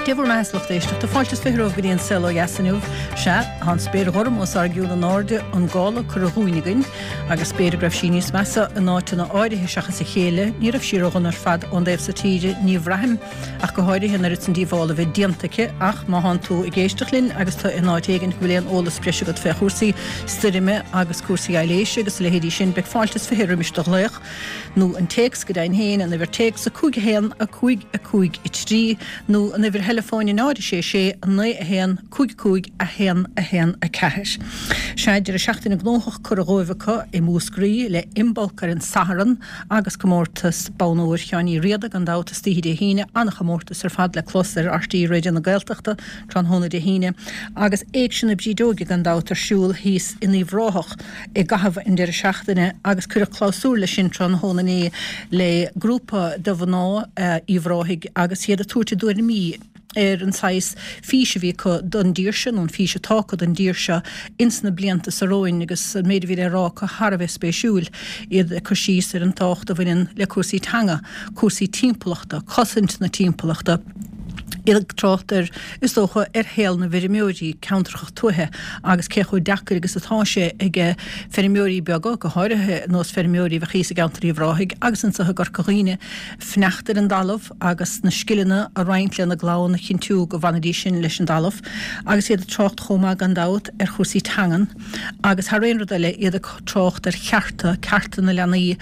Dé bhur mbeatha, a lucht éisteachta. Fáilte is 20 romhaibh go dtí an Saol Ó Dheas inniu. Sea, tá an spéir ghorm os ár gcionn in airde, an gála curtha dhúinn againn, agus b'fhéidir go raibh sí níos measa in áiteanna áirithe seachas a chéile. Ní raibh sí ródhona ar fad ón dtaobh so tíre, ní bhraithim, ach go háirithe an oiread san díobhála a bheith déanta aici. Ach má thánn tú ag éisteacht linn agus tú in áit éigin go bhfuil aon eolas breise agat fé chúrsaí stoirme agus cúrsaí aibhléise agus a leithéidí sin, beidh fáilte is 20 roimis do ghlaoch. nó an téacs go deimhin féin, an uimhir téacs 5 1 5 5 3, nó an uimhir theileafóin 0 6 6 9 1 5 5 1 1 4. Sea, deireadh seachtaine gnóthach curtha dhóibh acu i Múscraí, le Imbolc ar an Satharn agus comórtas Bonn Óir Sheáin Uí Riada gan dabht istoíche Dé hAoine, an-chomórtas ar fad le clos ar RTÉ Raidió na Gaeltachta tráthnóna Dé hAoine, agus Éigse na Brídeoige gan dabht ar siúl thíos in Uíbh Ráthach. i gcaitheamh an deireadh seachtaine agus cuireadh clabhsúr leis sin tráthnóna inné le grúpa de mhná Uíbh Ráthaigh agus iad ag tabhairt a dtuairimí ar an saghas fís a bhí acu don dtír seo, nó an fís atá acu don dtír seo ins na blianta so romhainn agus an méid a bhí le rá acu thar a bheith spéisiúil, iad ag cur síos ar an tábhacht a bhaineann le cúrsaí teanga, cúrsaí timpeallachta, cosaint na timpeallachta. Iad ag trácht ar, is dócha, ar shaol na bhfeirmeoirí, ceantracha tuaithe, agus cé chomh deacair agus atá sé ag feirmeoirí beaga, go háirithe ar nós feirmeoirí a bheadh thíos i gceantar Uíbh Ráthaigh agus anseo i gCorca Dhuibhne, fanacht ar an dtalamh agus na scileanna a roinnt lena gclann a chinntiú go bhfanfaidís sin leis an dtalamh. Agus iad ag trácht chomh maith gan dabht ar chúrsaí teangan agus thar aon rud eile iad ag trácht ar chearta, cearta na leanaí,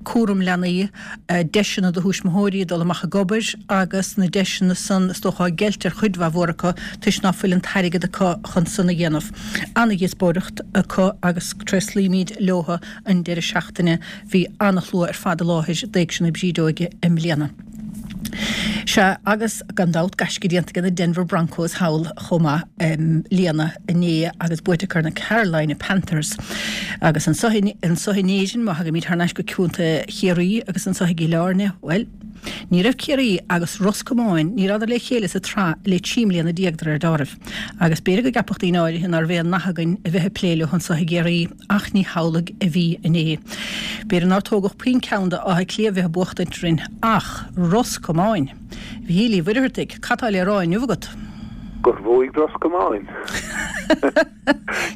cúram leanaí, deiseanna do thuismitheoirí dul amach ag obair agus na deiseanna san is dócha á gceilt ar chuid mhaith mhór acu toisc ná fuil an t-airgead acu chun san a dhéanamh. Ana-dhíospóireacht acu agus tréaslaímid leotha an deireadh seachtaine. Bhí ana-shlua ar fad i láthair d'Éigse na Brídeoige i mbliana. Sea, agus gan dabht gaisce déanta ag na Denver Broncos thall chomh maith i mbliana inné agus buaite acu ar na Carolina Panthers. Agus anseo anseo in Éirinn, má thagaimid thar n-ais go Contae Chiarraí agus anseo i gCill Airne, bhuel, ní raibh Ciarraí agus Ros Comáin, ní rabhadar le chéile sa tsraith le 13 mbliana de réir dealraimh. Agus b'fhéidir go gceapfadh daoine áirithe nárbh aon nath againn a bheith ag plé leo anseo i gCiarraí, Ach ní hamhlaidh a bhí inné. B'fhéidir nár tógadh puinn ceann de Áth Cliath bheith ag buachtaint orainn, ach Ros Comáin! Mhichíl Uí Mhuircheartaigh, cad tá le rá inniu agat? Gur bhuaigh Ros Comáin.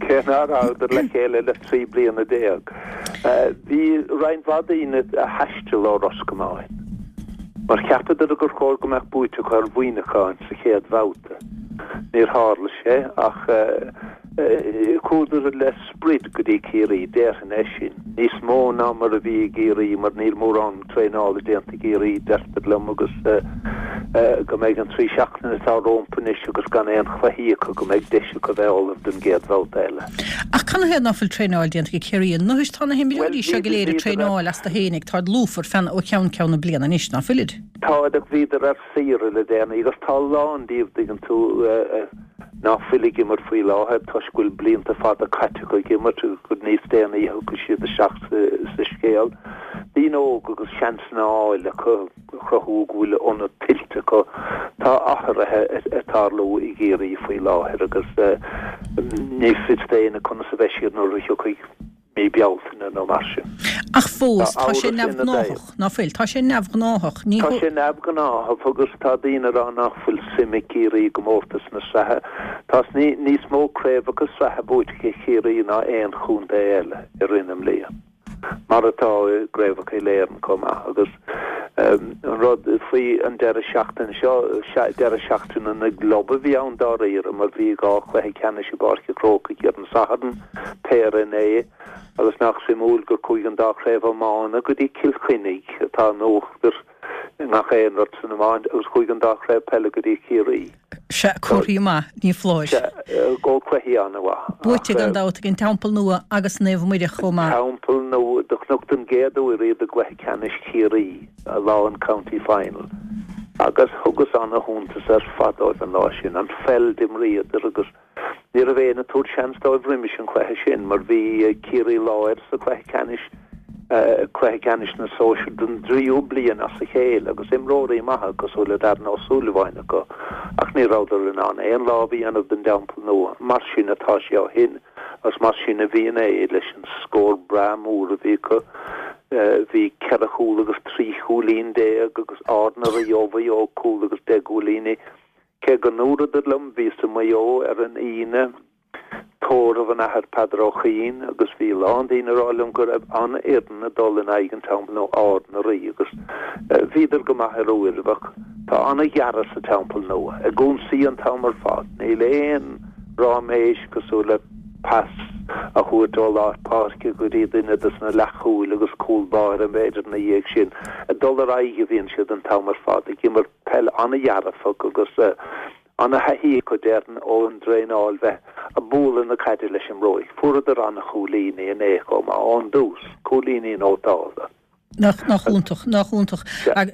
Cé ná rabhadar le chéile le 13 bliana. Bhí roinnt mhaith daoine a thaistil ó Ros Comáin, mar cheapadar gur chóir go mbeadh buaite acu ar Mhuineachán sa chéad bhabhta. Níor tharla sé, ach chuadar le sprid go dtí Ciarraí, déarfainn é sin, níos mó ná mar a bhí i gCiarraí mar níl mórán traenála déanta i gCiarraí, deirtear liom, agus go mbeidh an trí seachtaine atá rompu anois agus gan aon chluichí acu, go mbeidh deis acu bheith ullamh don gcéad bhabhta eile. Ach canathaobh ná fuil traenáil déanta ag Ciarraí anois? Tá na himreoirí seo go léir ag traenáil astu fhéinig, táid lúfar feadh ó cheann ceann na bliana anois, ná fuilid? Táid ach bhíodar ar saoire le déanaí agus tá a lán díobh, dtuigeann tú, ná fuil ag imirt faoi láthair toisc go bhfuil blianta fada caite acu ag imirt agus gur níos déanaí a thiocfaidh siad isteach sa scéal. Daoine óga agus seansanna á fháil acu a chruthú go bhfuil ionad tuillte acu. Tá athruithe ag tarlú i gCiarraí faoi láthair agus ní fios d'éinne conas a bheidh siad nuair a thiocfaidh mí Bealtaine nó mar sin. Ach fós, tá sé neamhghnáthach, ná fuil? Tá sé neamhghnáthach. Ní. Tá sé neamhghnáthach agus tá daoine ag rá nach bhfuil suim ag Ciarraí i gcomórtas na sraithe. Tá níos mó craobhacha sraithe buaite ag Ciarraí ná aon chontae eile i rith na mblian, mar atá i gcraobhacha Uile-Éireann chomh maith. Agus an rud faoi an deireadh seachtaine seo, deireadh seachtaine na gclub a bhí ann dáiríre mar bhí dhá chluiche ceannais i bPáirc an Chrócaigh ar an Satharn. péire inné, agus nach suimiúil gur chuaigh an dá chraobh iomána go dtí Cill Chainnigh, atá in uachtar i ngach aon rud san iomáint, agus chuaigh an dá chraobh peile go dtí Ciarraí. Sea, comharthaí maith, ní foláir. Sea, go cluichí an-mhaith. Buaite gan dabht ag an Teampall Nua agus Naomh Muire chomh maith. Teampall Nua, do chonac don gcéad uair iad i gcluiche ceannais Chiarraí, lá an County Final, agus thugas ana-shuntas ar fad dóibh an lá sin, an pheil d'imríodar agus. Ní raibh éinne ag tabhairt seans dóibh roimis an chluiche sin mar bhí Ciarraí Láir sa chluiche ceannais, cluiche ceannais na sóisear don dtríú bliain as a chéile agus imreoirí maithe cosúil le Darren Ó Súilleabháin acu ach ní rabhadar in ann aon lámh a dhéanamh den dTeampall Nua. Mar sin atá sé ó shin agus mar sin a bhíonn é leis an scór breá mór a bhí acu. Bhí ceithre chúl agus 13 chúilín agus Ard na Rí ó Mhaigh Eo cúl agus 10 gcúilíní. Cé go ndúradar liom, bhíos i Maigh Eo ar an Aoine, tórramh an Athar Peadar Ó Cuinn agus bhí a lán daoine ag rá liom go raibh an-fhoireann ag dul in aghaidh an Teampaill Nua, Ard na Rí agus bhíodar go maith ar uairibh ach tá an-ghearradh sa Teampall Nua, ag ionsaí an t-am ar fad. Níl aon ráiméis cosúil le pas a thabhairt ó lár páirce go dtí duine dos na leathchúil agus cúl báire b'fhéidir ina dhiaidh sin. Ag dul ar aghaidh a bhíonn siad an t-am ar fad, ag imirt peil an-dhearfach agus ana-thaithí acu déarfainn ón dtraenáil bheith ag bualadh na caide leis an mbróig. Fuaireadar an-chúilíní inné chomh maith ón dtús, cúilíní nótálta. Nach, nach iontach, nach iontach.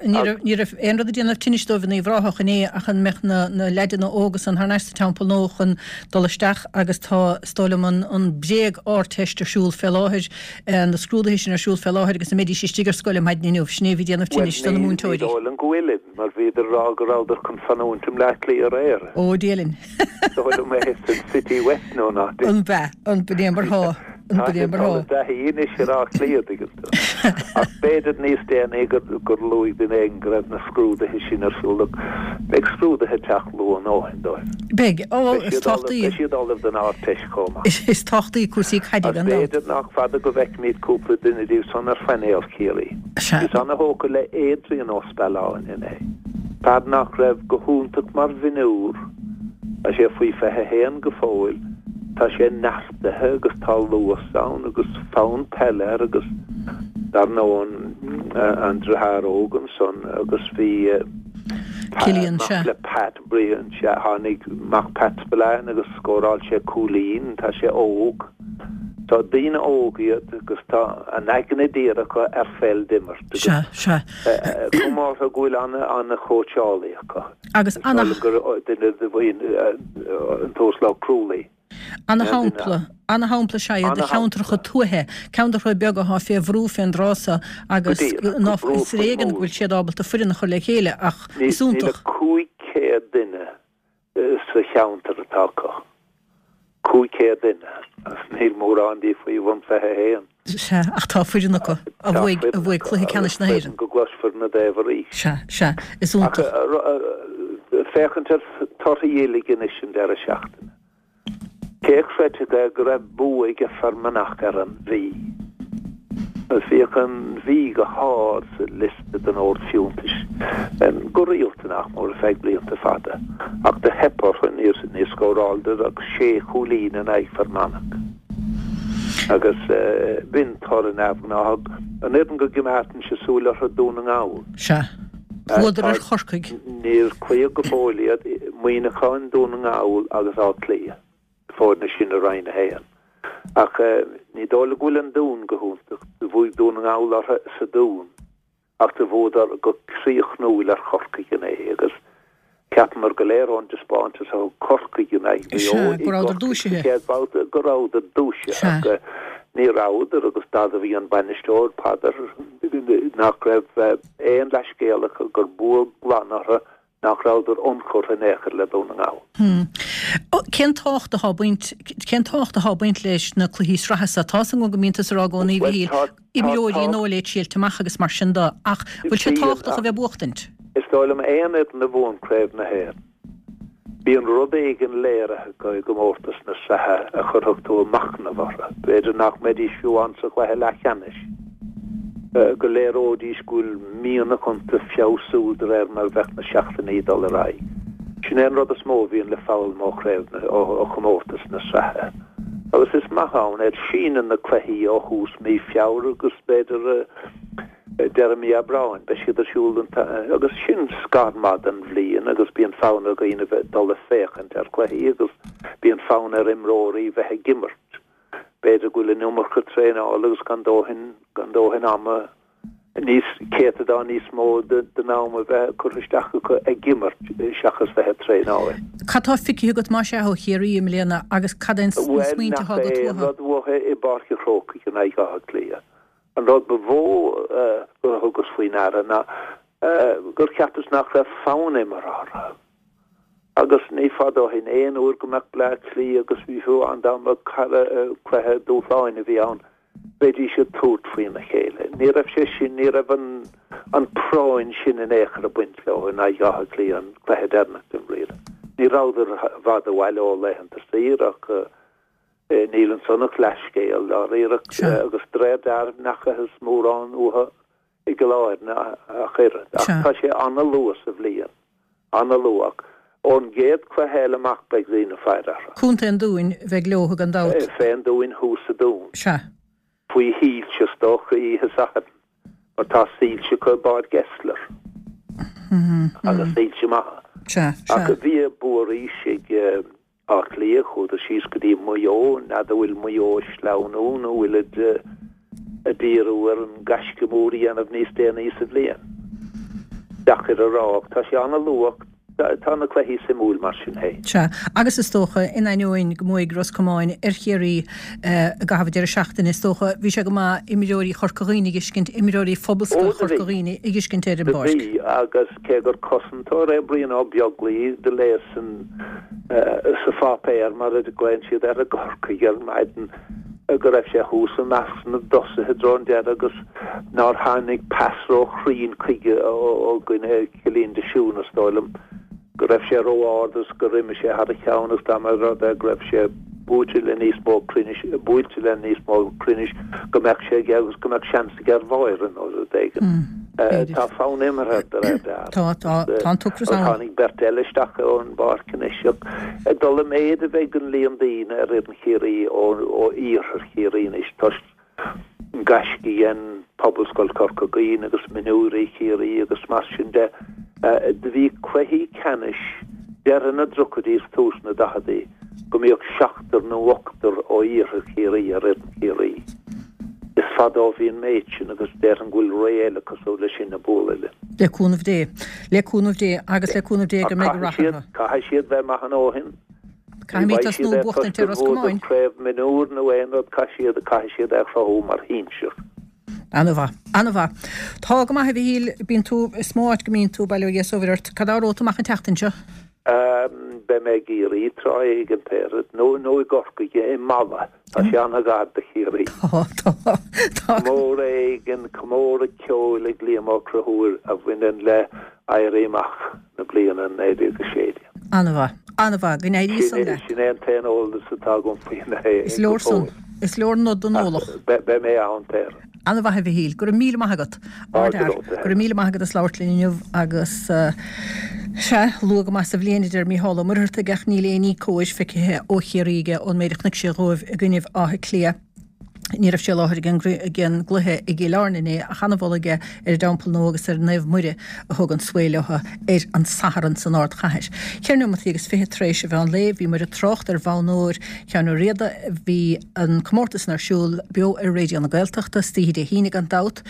Ní raibh, ní raibh aon rud ag déanamh tinnis dóibh in Uíbh Ráthach inné ach an mbeadh na, na leaideanna óga san thar n-ais sa Teampall Nua chun dul isteach agus tá, is dóigh liom, an, an bréag-Ardteist ar siúl fé láthair, na scrúduithe sin ar siúl fé láthair agus an mbeidís istigh ar scoil ar maidin inniu, sin é a bhí ag déanamh tinnis do na múinteoirí. Ní dóigh liom go bhfuilid, mar bhíodar ag rá go rabhadar chun fanúint i mBleá Cliath aréir. Ó, Dia linn. Is dóigh liom é san City West nó ná. An b'ea, an b'in é mar thá. An b'in é mar thá. Tá taithí anois ar Áth Cliath, tuigeann tú. Ach b'fhéidir níos déanaí gur luaigh duine éigin go raibh na scrúduithe sin ar siúl. Beidh scrúduithe ag teacht luath a ndóthain dóibh. Beidh. Ó, is tábhachtaí. Beidh siad ullamh don Ardteist chomh maith. Is tábhachtaí cúrsaí caide gan dabht. Agus b'fhéidir nach fada go bhfeicfimid cúpla duine díobh san ar phainéal Chiarraí. Sea. Bhíos ana-thógtha le Adrian Ó Spealáin inné. Fear nach raibh go hiontach mar mhionúr, tá sé faoi 21 go fóill, tá sé neartaithe agus tá luas ann agus fonn peile air agus dar ndóigh an deartháir óg ansan agus bhí Cillian, sea. mac le Pat Brian, sea, tháinig mac Pat Spillane agus scóráil sé cúilín, tá sé óg. Tá daoine óg iad agus tá an aigne díreach acu ar pheil d'imirt agus Sea, sea. cuma orthu go bhfuil ana-chóitseálaí acu. Agus ana. Gur duine de bhuíon an tUasal Ó Crualaoi. Ana-shampla, ana-shampla is ea iad de cheantracha tuaithe, ceantracha beaga atá fé bhrú fén dtráth so agus ná, is ar éigean go bhfuil siad ábalta foireann a chur le chéile ach is iontach. Níl ach 500 duine sa cheantar atá acu. 500 duine agus níl mórán díobh faoi bhun 21. Sea, ach tá foireann acu a bhuaigh, a bhuaigh cluiche ceannais na hÉireann. Go gcloisfear ina dtaobh arís. Sea, sea, is iontach. Ach féachaint ar torthaí uilig anois an deireadh seachtaine. Cé a chreidfeadh é go raibh bua ag Fear Manach ar an Mhí? Agus bhíodh an Mhí go hard sa liosta den ord fiúntais go rialta nach mór ar feadh blianta fada. Ach do theip orthu, níor scóráladar ach sé chúilín in aghaidh Fear Manach. Agus b'in toradh neamhghnáthach. An fhoireann go gcoimeádfainnse súil orthu Dún na nGall. Sea. Bhuadar ar Chorcaigh. Níor cloíodh go fóill iad, Muineachán, Dún na nGall agus Áth Cliath, na foirne sin i Roinn 1. Ach ní dóigh liom go bhfuil an Dún go hiontach. Do bhuaigh Dún na nGall orthu sa Dún. Ach do bhuadar go críochnúil ar Chorcaigh inné agus cheapamar go léir ón dtaispeántas a thug Corcaigh in aghaidh Mhaigh Eo i gCorcaigh sa chéad bhabhta go rabhadar dúisithe ach ní rabhadar agus d'admhaigh an bainisteoir, Peadar, nach raibh aon leathscéal acu gur bua glan orthu nach rabhadar ionchurtha in aon chor le Dún na nGall. Cén tábhacht atá ag baint, cén tábhacht atá ag baint leis na cluichí sraithe seo? Tá's agam go mbíonn tusa ag rá i gcónaí, a Mhichíl, imreoirí an óil é triailt amach agus mar sin de, ach bhfuil sé tábhachtach a bheith ag buachtaint? Is dóigh liom aon fhoireann a bhuann Craobh na hÉireann, bíonn rud éigin léirithe acu i gcomórtas na sraithe a chuirfeadh tú ag machnamh orthu. B'fhéidir nach mbeidís fiú ann sa chluiche leathcheannais. Go léireoidís go bhfuil mianach iontu feabhsú de réir mar a bheadh na seachtainí ag dul ar aghaidh. Sin é an rud is mó a bhíonn le foghlaim ó chraobh na, ó chomórtas na sraithe. Agus is maith ann iad. Síneann na cluichí ó thús mí Feabhra agus b'fhéidir deireadh mí Aibreáin. Beidh siad ar siúl an agus sin scar maith den bhliain agus bíonn fonn ar dhaoine bheith dul ag féachaint ar chluichí agus bíonn fonn ar imreoirí bheith ag imirt. B'fhéidir go bhfuil an iomarca traenála agus gan dóthain gan dóthain ama níos céatadán níos mó den am a bheith curtha isteach acu ag imirt seachas bheith ag traenáil. Cad tá feicthe agat más ea ó Chiarraí i mbliana agus cad é na smaointe atá agat uathu? Bhuel, nach é an rud uathu i bPáirc an Chrócaigh in aghaidh Átha Cliath. An rud ba mhó gur thugas faoi ndeara ná gur cheapas nach raibh fonn imeartha orthu. Agus ní fada ó shin, aon uair go mbeadh Bleá Cliath agus bhí fiú an dá mbeadh cara cluiche dúshláin a bhí ann, bheidís ag tabhairt faoina chéile. Ní raibh sé sin, ní raibh an an práinn sin in aon chor ag baint leo in aghaidh Átha Cliath an cluiche deireanach den bhliain. Ní rabhadar i bhfad abhaile ó laethanta saoire ach níl ansan ach leathscéal dáiríre agus de réir dealraimh n'fheacathas mórán uathu i gCill Airne ach oiread. Ach tá sé ana-luath sa bhliain, ana-luath. Ach ón gcéad chluiche eile amach beidh daoine ag faire orthu. Contae an Dúin a bheidh leo gan dabht. Fén Dúin thuas sa Dún. Sea. Faoi shoilse is dócha oíche Sathairn mar tá soilse acu i bPáirc Esler. Agus soilse maithe. Sea, sea. Ach bhí bua arís ag Áth Cliath, chuadar síos go dtí Maigh Eo, n'fheadar an bhfuil Maigh Eo ag sleamhnú nó an bhfuilid ag díriú ar an gaisce mór a dhéanamh níos déanaí sa bhliain. Deacair a rá, ach tá sé an-luath, tá na cluichí suimiúil mar sin féin. Sea, agus is dócha, in ainneoin go mbuaigh Ros Comáin ar Chiarraí i gcaitheamh an deireadh seachtaine, is dócha, bhí sé go maith imreoirí Chorca Dhuibhne a fheiscint, imreoirí Phobalscoil Chorca Dhuibhne a fheiscint ar an bpáirc. Do bhí, agus cé gur cosantóir é Brian Ó Beaglaoich, do léas san sa pháipéar, mar a ghlaonn siad air i gCorcaigh ar maidin, go raibh sé thuas i measc na dtosaithe i dtreo an deiridh agus nár tháinig pas ró-chruinn chuige ó dhuine, Cillian de Siún is dóigh liom, go raibh sé ró-ard agus gur imigh sé thar a cheann agus dá mba rud é go raibh sé buaite le níos mó cruinnis, buailte le níos mó cruinnis go mbeadh sé aige agus go mbeadh seans aige ar bháire nó rud éigin. Tá fonn imeartha de réir dealraimh. Tá, tá, tá an t-ocras ann. Tháinig beirt eile isteach ón bpáirc anois ach ag dul i méid a bheidh an líon daoine ar fhoireann Chiarraí ó iarthar Chiarraí anois toisc an gaisce a dhein Pobalscoil Chorca Dhuibhne agus mionúirí Chiarraí agus mar sin de. Do bhí cluichí ceannais deireadh na dtríochaidí is tús na daicheadaí go mbíodh seachtar nó ochtar ó iarthar Chiarraí ar fhoireann Chiarraí. Is fada ó bhí an méid sin agus déarfainn go bhfuil ré eile cosúil leis sin ag bualadh linn. Le cúnamh Dé. Le cúnamh Dé agus le cúnamh Dé go mbeidh rath orthu. Caithfidh siad bheith maith a ndóthain. Caithfimid tosnú ag buachtaint ar Ros Comáin. Craobh mionúr nó aon rud, caithfidh siad, caithfidh siad é a chruthú mar shinsir. Ana-mhaith. Ana-mhaith. Tá go maith, a Mhichíl. Bíonn tú, is mó áit go mbíonn tú, bail ó Dhia 's ó Mhuire ort. Cad é romhat amach an tseachtain seo? Beidh mé i gCiarraí tráth éigin, nó, nó i gCorcaigh, i Mala. Tá sé an-ghar do Chiarraí. Tá, tá, tá. Comóradh éigin, comóradh ceoil ag Liam Ó Conchúir a bhaineann le Éirí Amach na bliana 1916. An-mhaith. An-mhaith. Go n-éirí san leat. Sin é an t-aon eolas atá agam faoin é. Is leor san. Is leor nod don eolach. Beidh mé ann, Péire. An-mhaith a Mhichíl. Go raibh míle maith agat. Ardfhear. Go raibh míle maith agat as labhairt linn inniu agus sea, luath go maith sa bhliain a deir Mícheál Ó Muircheartaigh ach níl aon ní cóir feicthe ó Chiarraí aige ón méid a chonaic sé dhóibh i gcoinnibh Átha Cliath. Ní raibh sé i láthair ag an gcluiche i gCill Airne inné ach an-mholadh aige ar an dTeampall Nua agus ar Naomh Muire a thug an svae leo ar an Satharn san ardchathair. Ceithre neomataí agus 20 tar éis an mheán lae bhíomar ag trácht ar Bhonn Óir Sheáin Uí Riada. Bhí an comórtas san ar siúl beo ar Raidió na Gaeltachta istoíche Dé hAoine gan dabht.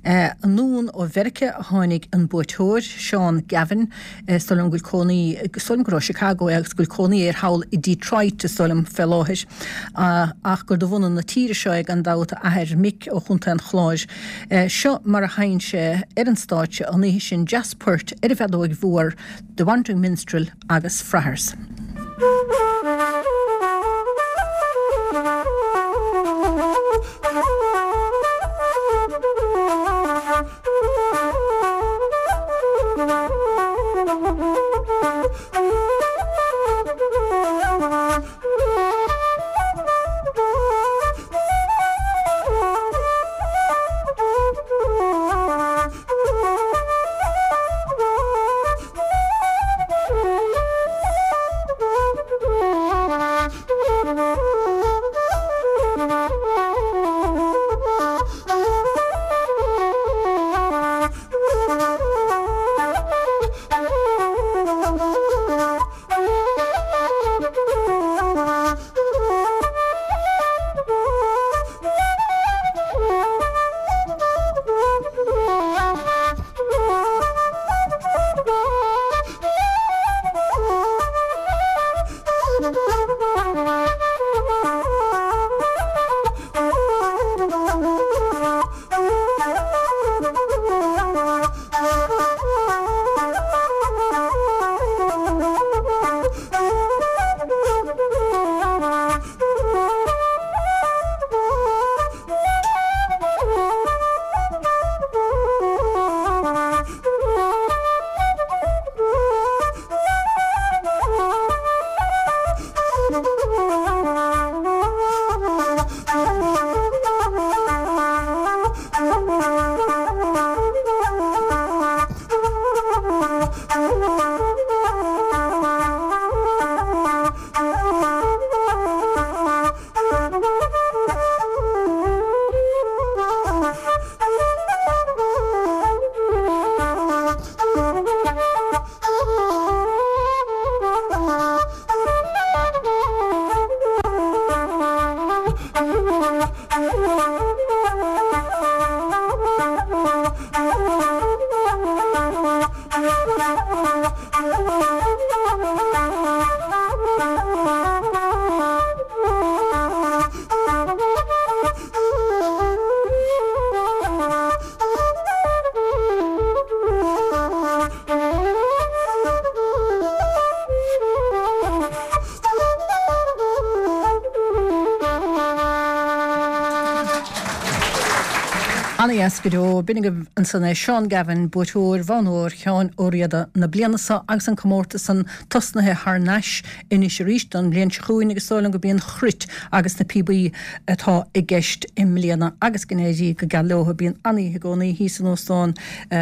Anonn ó Mheiriceá a tháinig an buaiteoir, Seán Gavin. Is dóigh liom go bhfuil cónaí, is dóigh liom gur ó Chicago é agus go bhfuil cónaí air thall i Detroit is dóigh liom fé láthair. Ach gur de bhunadh na tíre seo é gan dabht, a athair Mick ó Chontae an Chláir. Seo mar a sheinn sé ar an stáitse an oíche sin dreas poirt ar an bhfeadóig mhór, The Wandering Minstrel agus Friars. Ana-dheas go deo. B'in agaibh ansan é Seán Gavin, buaiteoir Bhonn Óir Sheáin Ó Riada na bliana seo agus an comórtas san tosnaithe thar n-ais anois arís don mbliain seo chugainn agus is dóigh liom go b'í an chruit agus na píobaí atá i gceist i mbliana agus go n-éirí go geal leo. Bíonn an-oíche i gcónaí thíos in Óstán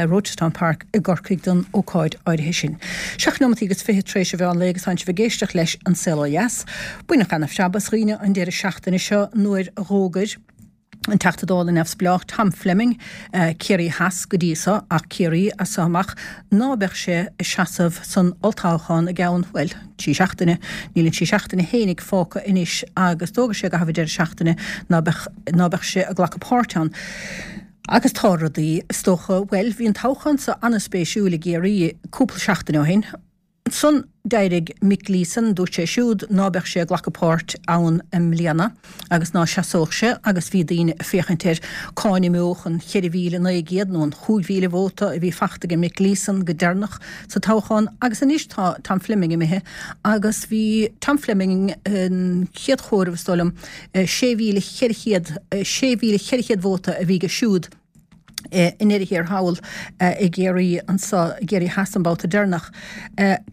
Rochestown Park i gCorcaigh don ócáid áirithe sin. 7 neomataí agus 20 tar éis an mheán lae agus tánn sibh ag éisteacht leis An Saol Ó Dheas. Baineadh ana-phreab as dhaoine an deireadh seachtaine seo nuair a dh'fhógair an Teachta Dála neamhspleách Tom Fleming, Ciarraí Theas go dtí so, ach Ciarraí as so amach, ná beadh sé ag seasamh san olltoghchán i gceann, bhuel, trí seachtaine. Níl an trí seachtaine fhéinig fágtha anois agus d'fhógair sé i gcaitheamh an deireadh seachtaine ná beadh, ná beadh sé ag glacadh páirt ann. Agus tá rudaí, is dócha, bhuel, bhí an toghchán so an-spéisiúil i gCiarraí cúpla seachtain ó shin. Ansan d'éirigh Mick Gleeson, dúirt sé siúd ná beadh sé ag glacadh páirt ann i mbliana agus ná seasódh sé agus bhí daoine ag féachaint air cá n-imeodh an 4,900 nó an 5,000 vóta a bhí fachta aige Mick Gleeson go deireanach sa toghchán agus anois tá Tom Fleming imithe agus bhí Tom Fleming an chéad chomhaireamh is dóigh liom 6,400 6,400 vóta a bhí aige siúd. I ndeireadh thiar thall i gCiarraí anso, i gCiarraí Theas an babhta deireanach.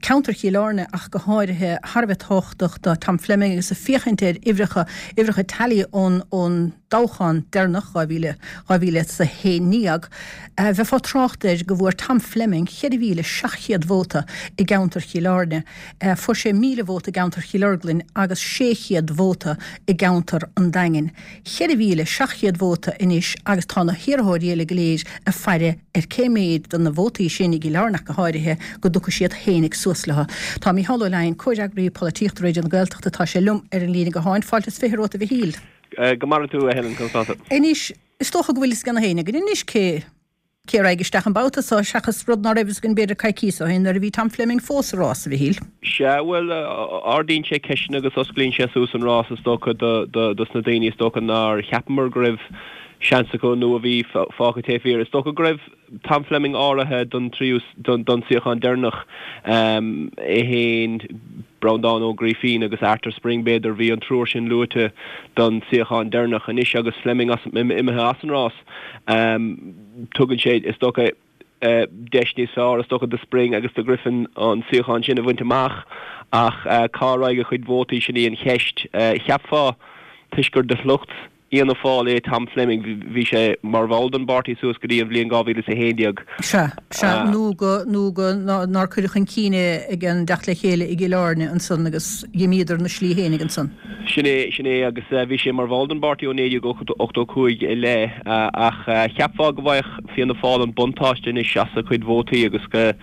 Ceantar Chill Airne ach go háirithe, thar a bheith tábhachtach do Tom Fleming agus ag féachaint ar uimhreacha, uimhreacha tally ón ón dtoghchán deireanach, 2000, 2011, bheifeá ag trácht air go bhfuair Tom Fleming 4,700 vóta i gceantar Chill Airne. Fuair sé 1,000 vóta i gceantar Chill Orglan agus 600 vóta i gceantar an Daingin. 4,700 vóta anois agus tá na hiarrthóirí eile go léir ag faire ar cé méid de na vótaí sin, i gCill Airne ach go háirithe, go dtiocfaidh siad fhéinig suas leo. Tá Mícheál Ó Leidhin, Comhfhreagraí Polaitíochta Raidió na Gaeltachta, tá sé liom ar an líne gutháin. Fáilte is 20 romhat a Mhichíl. Go maire tú, a Helen, conas tá tú? Anois, is dócha go bhfuil fhios ag gach éinne againn anois cé Cé a raghaidh isteach an babhta seo seachas rud ná raibh fhios againn b'fhéidir coicíos ó shin nuair a bhí Tom Fleming fós sa rás, a Mhichíl? Sea, bhuel, ardaíonn sé ceisteanna agus osclaíonn sé suas an rás is dócha dos na daoine is dócha nár cheapamar go raibh seans acu nó a bhí fágtha taobh thiar. Is dócha go raibh Tom Fleming áirithe don tríú, don suíochán deireanach, é féin, Breandán Ó Grífín agus Arthur Spring, b'fhéidir, bhí an triúr sin luaite don suíochán deireanach. Anois agus Fleming imithe as an rás, Tugann sé, is dócha, deis níos fearr, is dócha, do Spring agus do Griffin an suíochán sin a bhaint amach ach cá raghaidh a chuid vótaí, sin í an cheist. Cheapfá, toisc gur de shliocht Fhianna Fáil é Tom Fleming, bhí sé mar bhall den bpáirtí suas go dtí an bhliain 2011. Sea, sea, nó go, nó go, nár cuireadh chun cinn é ag an dteacht le chéile i gCill Airne ansan agus dh'imíodar 'na slí fhéinig ansan. Sin é, sin é, agus bhí sé mar bhall den bpáirtí ó 1985 i leith, ach cheapfá go bhfaigheadh Fianna Fáil an buntáiste anois as a chuid vótaí agus go,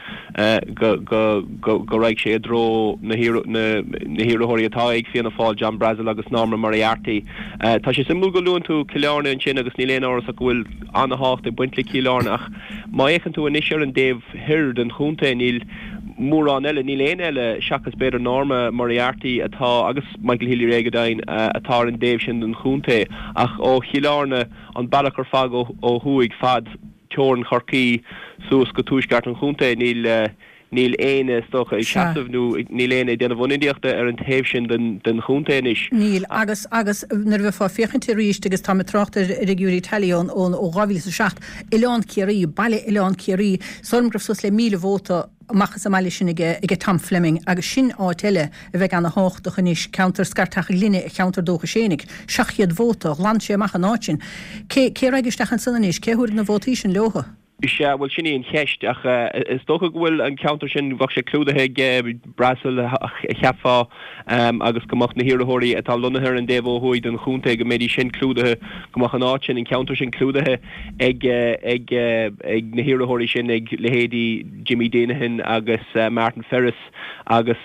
go, go, go, go raghadh sé i dtreo na na hiarrthóirí atá ag Fianna Fáil, John Brassil agus Norma Moriarty. Tá sé suimiúil go luann tú Cill Airne ansin agus níl aon amhras ach go bhfuil an-thábhacht ag baint le Cill Airne ach má fhéachann tú anois ar an dtaobh thoir den chontae níl mórán eile, níl éinne eile seachas b'fhéidir Norma Moriarty atá, agus Michael Healy-Rae go deimhin, atá ar an dtaobh sin den chontae. Ach ó Chill Airne, an bealach ar fad ó thuaidh fad teorainn Chorcaí suas go tuaisceart an chontae, níl, níl éinne is dócha ag seasamh nó níl éinne ag déanamh ionadaíochta ar an taobh sin den chontae anois. Níl, agus, agus nuair a bheifeá ag féachaint arís, agus táim ag trácht ar ar fhigiúirí tally ón, ón, ó 2007, Oileán Ciarraí, baile Oileán Ciarraí, is dóigh liom go raibh suas le 1,000 vóta amach as an mbaile sin aige, aige Tom Fleming agus sin áit eile a bheidh ana thábhachtach anois, ceantar Scairteach a' Ghlinne, a cheantar dúchais fhéinig. 700 vóta, ghlan sé amach an áit sin. Cé, cé a raghaidh isteach ansan anois? Cé a thabharfaidh na vótaí sin leothu? Sea, bhuel sin í an cheist, ach is dócha go bhfuil an ceantar sin, bheadh sé clúdaithe ag Brassil, cheapfá, agus go mbeadh na hiarrthóirí atá lonnaithe ar an dtaobh ó thuaidh den chontae, go mbeidís sin clúdaithe, go mbeadh an áit sin, an ceantar sin clúdaithe ag ag ag na hiarrthóirí sin, ag leithéidí Jimmy Deenihan agus Martin Ferris agus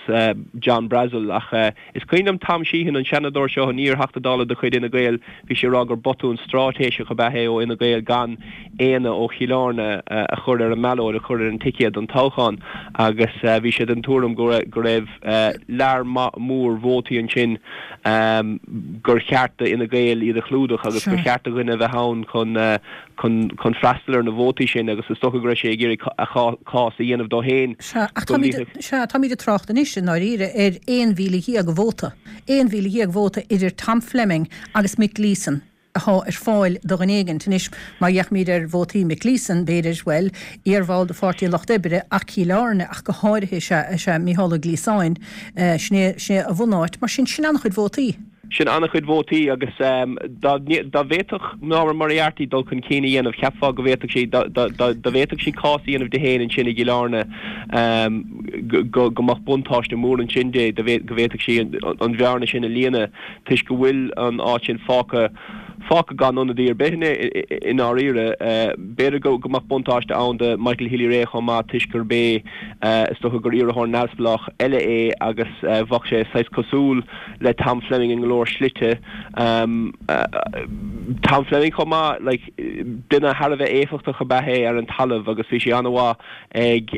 John Brassil. Ach is cuimhin liom Tom Sheehan, an Seanadóir seo, an iar-Theachta Dála de chuid Fhine Gael, bhí sé ag rá gur botún stráitéiseach ab ea é ó Fhine Gael gan éinne ó Chill Airne a chur ar an mballóid, a chur ar an ticéad don toghchán agus bhí sé den tuairim go raibh lear mór vótaí ansin gur cheart do Fhine Gael iad a chlúdach agus gur cheart do dhuine a bheith ann chun chun freastal ar na vótaí sin agus is dócha go raibh sé ag iarraidh a chás a dhéanamh dó féin Sea, ach táimid, sea, táimid ag trácht anois i ndáiríre ar 11,000 vóta, 11,000 vóta idir Tom Fleming agus Mick Gleeson. athá ar fáil do dhuine éigint. Anois, má fhéachaimid ar vótaí Mick Gleeson, b'fhéidir, bhuel, iar-bhall de Pháirtí an Lucht Oibre ach Cill Airne ach go háirithe is ea, is ea Mícheál Ó Gliasáin, sin é, sin é a bhunáit. Mar sin, sin an-chuid vótaí. Sin an-chuid vótaí agus dá, dá bhféadfadh Norma Moriarty dul chun cinn a dhéanamh, cheapfá go bhféadfadh sí, dá, dá, dá bhféadfadh sí cás a dhéanamh di féin ansin i gCill Airne, go, go mbeadh buntáiste mór ansin di, go bhféadfadh sí an bhearna sin a líonadh. toisc go bhfuil an áit sin fágtha fágtha gan ionadaí ar bith i ndáiríre. B'fhéidir go mbeadh buntáiste ann do Michael Healy-Rae chomh maith toisc gurb é is dócha gur iarrthóir neamhspleách eile é agus bheadh sé saghas cosúil le Tom Fleming in go leor slite. Tom Fleming chomh maith, like, duine thar a bheith éifeachtach ab ea é ar an talamh agus bhí sé an-mhaith ag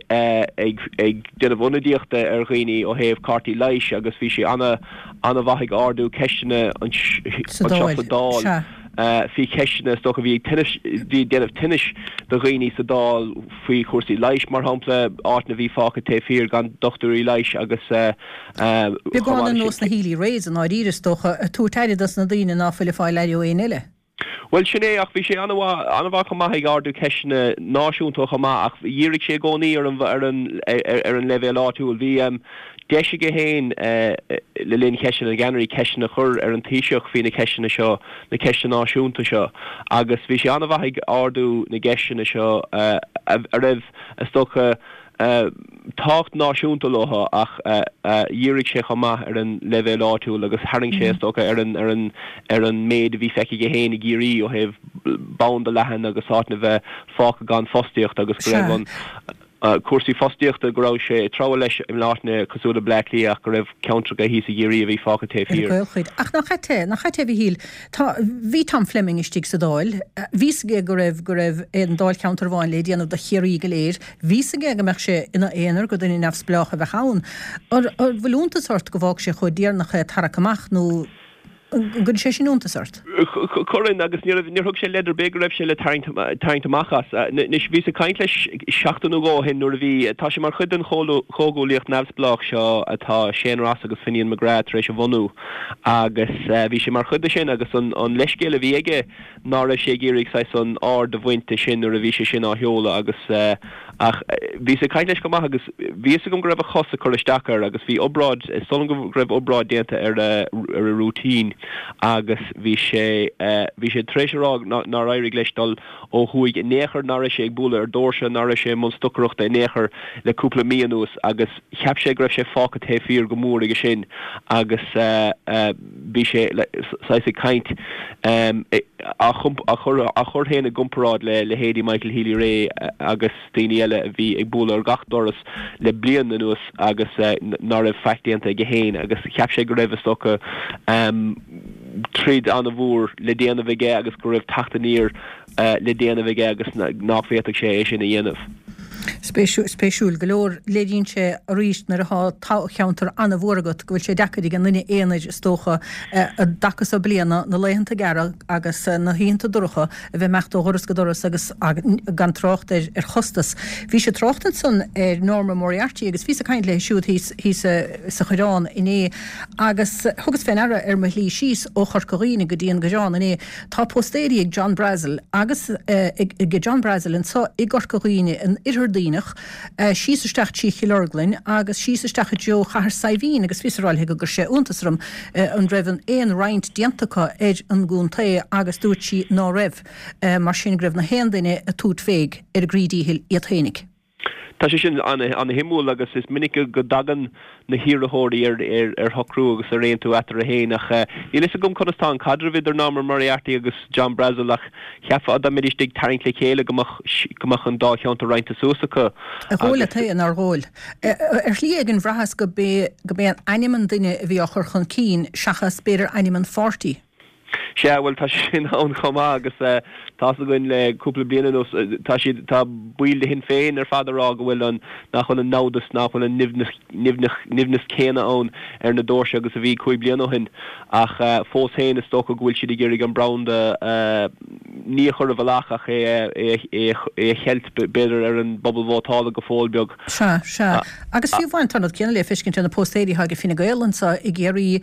ag déanamh ionadaíochta ar dhaoine ó thaobh cártaí leighis agus bhí sé ana an-mhaith ag ardú ceisteanna Sa anseo Dáil, sa Dáil sea. faoi cheisteanna is dócha a bhí ag tinnis, bhí ag déanamh tinnis do dhaoine sa Dáil faoi chúrsaí leighis, mar shampla, áiteanna a bhí fágtha taobh thiar gan dochtúirí leighis agus chomh Beagán maith ar leis nós sin. na Healy-Raes i ndáiríre, is dócha, ag tabhairt aire dos na daoine ná fuil ag fáil aire ó éinne eile. Bhuel, sin é, ach bhí sé an-mhaith, an-mhaith chomh maith ag ardú ceisteanna náisiúnta chomh maith, ach dhírigh sé i gcónaí ar an, ar an, ar an leibhéal áitiúil. Bhí deis aige féin le linn cheisteanna na gceannairí ceisteanna a chur ar an Taoiseach faoi na ceisteanna seo, na ceisteanna náisiúnta seo, agus bhí sé an-mhaith ag ardú na gceisteanna seo a raibh, is dócha, tábhacht náisiúnta leo ach dhírigh sé chomh maith ar an leibhéal áitiúil agus tharraing sé, is dócha, ar an ar an ar an méid a bhí feicthe aige féin i gCiarraí ó thaobh branda leathan agus áiteanna a bheith fágtha gan fostaíocht agus go raibh an cúrsaí fostaíochta go raibh sé ag treabhadh leis in áiteanna cosúil le Bleá Cliath ach go raibh ceantracha thíos i gCiarraí a bhí fágtha taobh Ar an thiar. gcaolchuid. Ach nach ait é, nach ait é, a Mhichíl, tá, bhí Tom Fleming istigh sa Dáil, bhí 's aige go raibh, go raibh aon dáilcheantar amháin le déanamh do Chiarraí go léir, Bhí 's aige go mbeadh sé ina aonar, gur duine neamhspleách a bheadh ann. An bhfuil iontas ort go bhfág sé chomh deireanach é ag tarrac amach nó an gcuireann sé sin iontas ort? Cuireann, agus níor thug sé leid ar bith go raibh sé le tarraingt amach as. Anois, bhíos ag caint leis seachtain nó dhó ó shin nuair a bhí, tá sé mar chuid den chomhghuaillíocht neamhspleách seo atá Shane Ross agus Finian McGrath tar éis a bhunú agus bhí sé mar chuid de sin agus an leithscéal a bhí aige ná raibh sé ag iarraidh saghas an aird a bhaint de sin nuair a bhí sé sin á sheoladh agus ach bhíos ag caint leis chomh maith agus bhí fhios agam go raibh a chos ag cur isteach air agus bhí obráid, is dóigh liom go raibh obráid déanta ar a ar a rúitín agus bhí sé bhí sé tar éis a rá nár éirigh leis dul ó thuaidh in aon chor, ná raibh sé ag bualadh ar dhoirse, ná raibh sé i mbun stocaireachta in aon chor le cúpla mí anuas agus cheap sé go raibh sé fágtha taobh thiar go mór aige sin agus bhí sé saghas ag caint, á chur féin i gcomparáid le leithéidí Michael Healy-Rae agus daoine eile a bhí ag bualadh ar gach doras le bliain anuas agus ná raibh faic déanta aige féin agus cheap sé go raibh, is dócha, troid an-mhór le déanamh aige agus go raibh teacht aniar le déanamh aige agus nach bhféadfadh sé é sin a dhéanamh. Spéisiúil go leor, léiríonn sé arís nuair atá toghcheantar an-mhór agat go bhfuil sé deacair ag an nduine aonair is dócha i dtaca so bliana, na laethanta gearra agus na hoícheanta dorcha a bheith ag imeacht ó dhoras go doras agus gan trácht ar ar chostas. Bhís ag trácht ansan ar Norma Moriarty agus bhíos ag caint léi siúd thíos thíos sa Choireán inné agus thugas fé ndeara ar mo shlí síos ó Chorca Dhuibhne go dtí an gCoireán inné Tá póstaeirí ag John Brassil agus ag John Brassil anso i gCorca Dhuibhne, in Oirthear Duibhneach, síos isteach trí Chill Orglan agus síos isteach i dtreo Chathair Saidhbhín agus bhíos ag rá léi go gcuir sé iontas orm an raibh an aon roinnt déanta acu ar an gcontae agus dúirt sí ná raibh, mar sin go raibh na haon duine ag tabhairt féig ar a gcroí díchill iad fhéinig. Tá sé sin an-shuimiúil agus is minic go dtagann na hiarrthóirí ar shocrú agus ar aontú eatarthu féin ach níl a fhios agam conas tá an caidreamh idir Norma Moriarty agus John Brassil ach cheapfá dá mbeidís ag tarraingt le chéile go mbeadh an dá cheantar roinnte suas acu Ar dhóigh leat é, nár dhóigh? Ar shlí éigin bhraitheas go b'é an ainm an duine a bhí á chur chun cinn seachas b'fhéidir ainm an pháirtí. Sea, bhuel, tá sé sin ann chomh maith agus tá's againn le cúpla bliain anuas, tá siad, tá baill de Shinn Féin ar fad ag rá go bhfuil an, nach bhfuil an namhdas, nach bhfuil an nimhneas, nimhneas céanna ann ar na doirse agus a bhí chúig bliana ó shin. Ach fós féin is dócha go bhfuil siad ag iarraidh an branda ní a chur i bhfolach ach é, é, é, é a cheilt b'fhéidir ar an bpobal vótála go fóill beag. Sea, sea. Agus fiú amháin tá an rud céanna le feiscint ar na póstaeirí atá ag Fine Gael anseo i gCiarraí,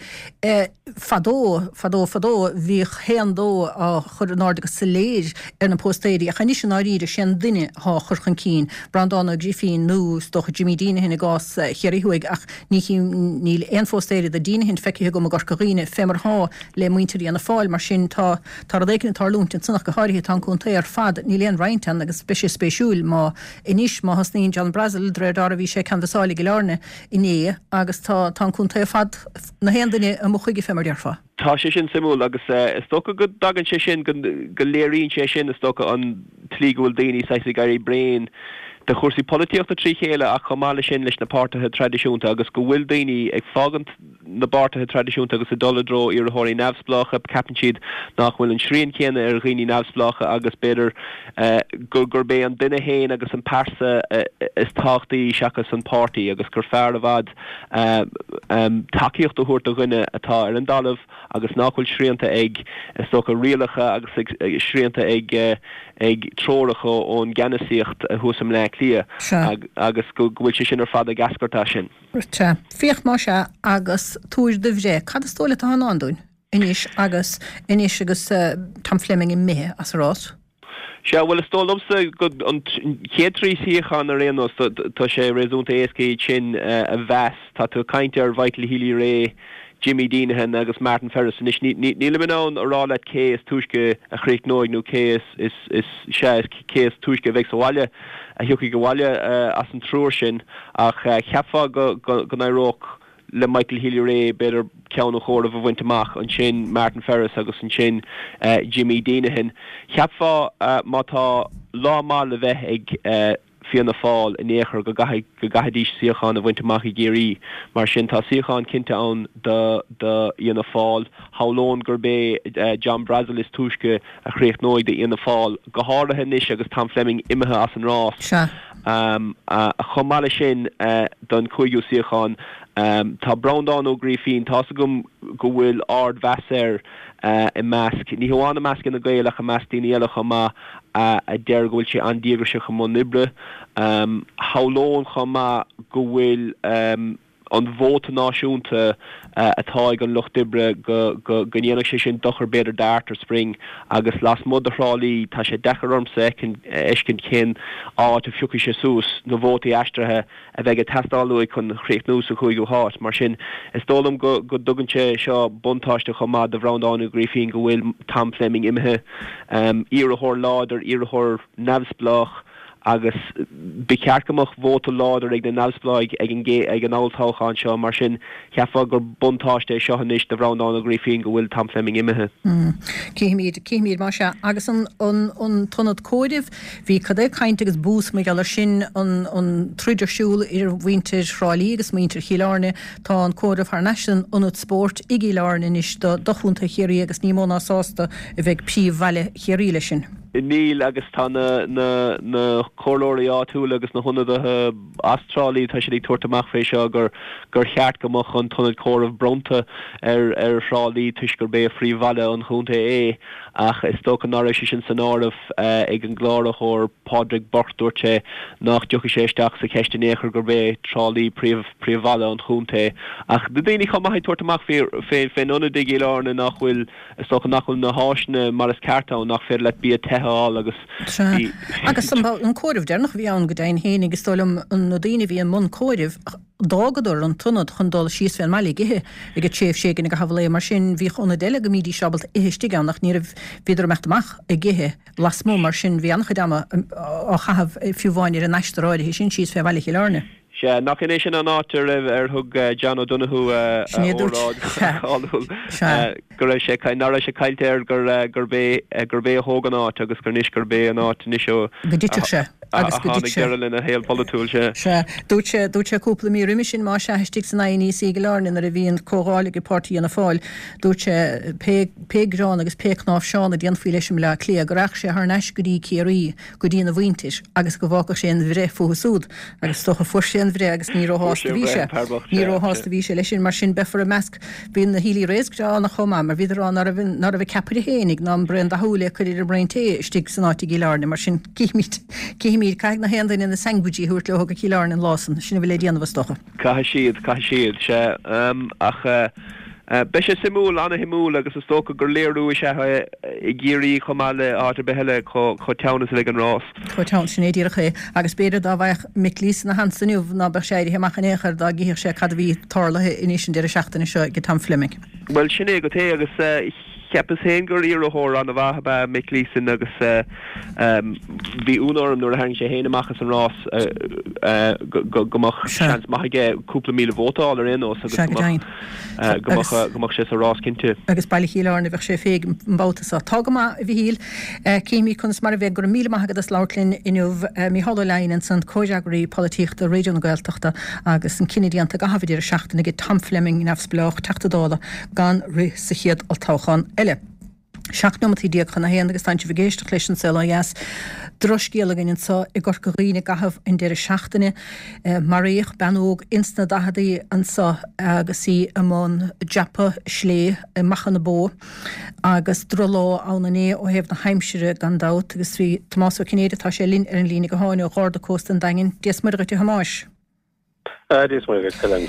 Fadó, fadó, fadó, bhíodh. Bhíodh haon dó á chur in airde go soiléir ar na póstaeirí ach anois i ndáiríre sé an duine athá á chur chun cinn, Breandán Ó Grifín nó is dócha Jimmy Deenihan i gcás Chiarraí Thuaidh ach ní chím, níl aon phóstaeir do Deenihan feicthe agam i gCorca Dhuibhne fé mar athá le muintir Fhianna Fáil mar sin tá, tá rud éicint ag tarlúint ansan ach go háirithe tá an contae ar fad, níl aon roinnt ann agus beidh sé spéisiúil má, anois má thosnaíonn John Brassil, de réir dealraimh bhí sé ag canbhasáil i gCill Airne inné agus tá, tá an contae ar fad, na haon duine amuigh chuige fé mar déarfá. Tá sé sin suimiúil agus is dócha go dtagann sé sin, go léiríonn sé sin is dócha an tslí go bhfuil daoine saghas ag éirí bréan de chúrsaí polaitíochta trí chéile ach chomh maith leis sin leis na páirtithe traidisiúnta agus go bhfuil daoine ag fágaint na bpáirtithe traidisiúnta agus ag dul i dtreo iarrthóirí neamhspleácha. Ceapann siad nach bhfuil an srian céanna ar dhaoine neamhspleácha agus b'fhéidir gurb é an duine féin agus an pearsa is tábhachtaí seachas an páirtí agus gur fearr i bhfad tacaíocht a thabhairt do dhuine atá ar an dtalamh agus nach bhfuil srianta ag, is dócha, rialacha agus srianta ag ag treoracha ón gceannasaíocht thuas i mBleá Cliath agus go bhfuil sé sin ar fad ag eascairt as sin. Sea. Féach más ea agus tabhair do bhreith. Cad is dóigh leat atá i ndán dúinn anois agus anois agus Tom Fleming imithe as an rás? Sea, bhuel, is dóigh liomsa go an chéad 3 shuíochán ar aon nós, tá sé réasúnta éasca iad sin a mheas. Tá tú ag caint ar Mhichael Healy-Rae, Jimmy Deenihan agus Martin Ferris. Anois, nílim in ann a rá leat cé is túisce a chríochnóidh nó cé is, is, sea, cé is túisce a bheidh sa bhaile, a thiocfaidh abhaile as an triúr sin ach cheapfá go n-éireodh le Michael Healy-Rae b'fhéidir ceann an chomhairimh a bhaint amach, ansin Martin Ferris agus ansin Jimmy Deenihan. Cheapfá má tá lá maith le bheith ag Fianna Fáil in aon chor go gcaithfidh, go gcaithfidís suíochán a bhaint amach i gCiarraí. Mar sin tá suíochán cinnte ann do Fhianna Fáil. Shamhlóinn gurb é John Brassil is túisce a chríochnóidh do Fhianna Fáil, go háirithe anois agus Tom Fleming imithe as an rás. Sea. Chomh maith leis sin, don chúigiú suíochán, tá Breandán Ó Grífín, tá's agam go bhfuil ardmheas air i measc, ní hamháin i measc Fhine Gael ach i measc daoine eile chomh maith, a deir go bhfuil sé an-díograiseach i mbun oibre. Shamhlóinn chomh maith go bhfuil. an vóta náisiúnta atá ag an Lucht Oibre go ndéanfadh sé sin dochar b'fhéidir d'Arthur Spring agus lasmuigh de Thrá Lí tá sé deacair ormsa a fheiscint cén áit a phiocfaidh sé suas na vótaí aistrithe a bheidh ag teastáil uaidh chun chríochnú sa chúigiú háit. Mar sin is dóigh liom go dtugann sé seo buntáiste chomh maith do Bhreandán Ó Grífín go bhfuil Tom Fleming imithe. Iarrthóir láidir, iarrthóir neamhspleách. agus ba cheart go mbeadh vóta láidir ag na neamhspleáigh ag an ag an olltoghchán seo, mar sin cheapfá gur buntáiste é seo anois do Bhreandán Ó Grífín go bhfuil Tom Fleming imithe. Cífimid, cífimid más ea. Agus an, an, an t-ionad comhairimh, bhí cad é caint agus bús mar gheall air sin, an, an troid ar siúl idir mhuintir Thrá Lí agus muintir Chill Airne. Tá an comhaireamh thar n-ais san ionad spóirt i gCill Airne anois do, do Chontae Chiarraí agus ní mó ná sásta a bheidh príomhbhaile Chiarraí leis sin. Níl, agus tá na na na comhairleoirí áitiúla agus na hionadaithe as Trá Lí, tá siad ag tabhairt amach fé seo gur gur cheart go mbeadh an t-ionad comhairimh bronnta ar ar Thrá Lí toisc gurb é phríomhbhaile an chontae é ach is dócha ná raibh sé sin san áireamh ag an gcláraitheoir Pádraig Burke. Dúirt sé nach dtiocfaidh sé isteach sa cheist in aon chor gurb é Trá Lí príomh príomhbhaile an chontae. Ach na daoine chomh maith ag tabhairt amach fé fé fén ionad i gCill Airne nach bhfuil Is dócha nach bhfuil na háiseanna mar is ceart ann, nach féidir leat bia te a fháil agus Sea. bhí. Agus an comhaireamh deireanach a bhí ann go deimhin féinig, is dóigh liom, na daoine a bhí i mbun comhairimh, d'fhágadar an t-ionad chun dul síos fén mbaile ag ithe ag tréimhse éigin i gcaitheamh an lae. Mar sin, bhíodh ionaid eile go mbídís ábalta ithe istigh ann ach ní raibh, bhíodar ag imeacht amach ag ithe lasmuigh. Mar sin, bhí an-chuid ama á chaitheamh fiú amháin ar an aistear áirithe sin síos fé bhaile Chill Airne. Sea, nach in é sin an áit a raibh, ar thug John O'Donoghue a Sin é a dúirt. óráid Sea. cháiliúil, Sea. go raibh sé, nach raibh sé caillte air gur, gurb é, gurb é a thóg an áit agus gur anois, gurb é an áit anois a, Go dtitfeadh sé, agus go dtit tháinig sé. deireadh lena shaol polaitiúil, sea. Sea. Dúirt sé, dúirt sé cúpla mí roimhe sin, más ea, istigh san INEC i gCill Airne nuair a bhí an comhdháil ag páirtí Fhianna Fáil, dúirt sé, pé, pé greann agus pé cnáimhseán a déanfaí leis i mBleá Cliath, go rachadh sé thar n-ais go dtí Ciarraí, go dtína mhuintir agus go bhfágfadh sé an bhreith fúthu súd agus is dócha fuair sé an bhreith agus ní róshásta a bhí sé. Ní róshásta a bhí sé leis sin. Mar sin beifear i measc, bhí na Healy-Raes greannach chomh maith mar bhíodar ag rá ná raibh, ná raibh a ceapaire fhéinig ná an braon dathúil le cur ar an mbraon tae istigh san áit i gCill Airne. Mar sin cífimid, cífimid, caithfidh na haon duine na sandwichí a thabhairt leo go Cill Airne an lá san. Sin a bhfuil le déanamh is dócha. Caithfidh siad, caithfidh siad, sea. Ach. Beidh sé suimiúil, ana-shuimiúil agus is dócha gur léiriú is ea é i gCiarraí chomh maith le áit ar bith eile chomh teann is a bheidh an rás. Chomh teann, sin é díreach é. Agus b'fhéidir dá bhfaigheadh Mick Leeson a sheans inniu ná beadh sé éirithe amach in aon chor dá gcífeadh sé cad a bhí tarlaithe anois an deireadh seachtaine seo ag Tom Fleming. Bhuel, sin é go té agus Cheapas féin gur iarrthóir an-mhaith ab ea Mick Leeson agus bhí ionadh orm nuair a tharraing sé féin amach as an rás go mbeadh seans maith aige cúpla míle vóta a fháil ar aon nós agus go mbeadh go mbeadh sé sa rás cinnte. Agus Baile Chill Airne a bheadh sé féig an babhta seo. Tá go maith, a Mhichíl. Cífimid conas mar a bheidh. Go raibh míle maith agat as labhairt linn inniu. Mícheál Ó Leidhin ansan, Comhfhreagraí Polaitíochta Raidió na Gaeltachta agus an cinneadh déanta i gcaitheamh an deireadh seachtaine ag Tom Fleming, Neamhspleách, Teachta Dála, gan rith sa chéad olltoghchán eile. 17 neomataí chun a haon agus tánn sibh ag éisteacht leis An Saol Ó Dheas. Drochscéal againn anseo i gCorca Dhuibhne i gcaitheamh an deireadh seachtaine. Maraíodh bean óg ins na daicheadaí anseo agus í i mbun dreapadh slé i Machaire na Bó agus drochlá ann inné ó thaobh na haimsire gan dabht agus bhí Tomás Ó Cinnéide, tá sé linn ar an líne gutháin ó Gharda Cósta an Daingin. Dia 's Muire dhuit a Thomáis. Dia 's Muire dhuit, Helen.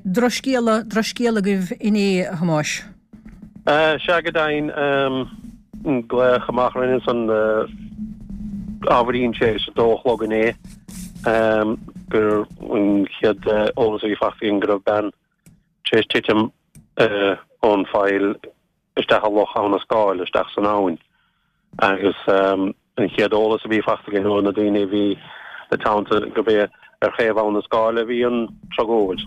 Drochscéala, drochscéala agaibh inné, a Thomáis. Sea, go deimhin, glaodh amach orainn ansan ábhairín tar éis a dó a chlog inné gur an chéad eolas a bhí faighte againn go raibh bean tar éis titim ón pholl isteach i Loch Abha na Scáil, isteach san abhainn. Agus an chéad eolas a bhí faighte againn ó na daoine a bhí ina teannta gurb é ar thaobh Abha na Scáile a bhí an tragóid.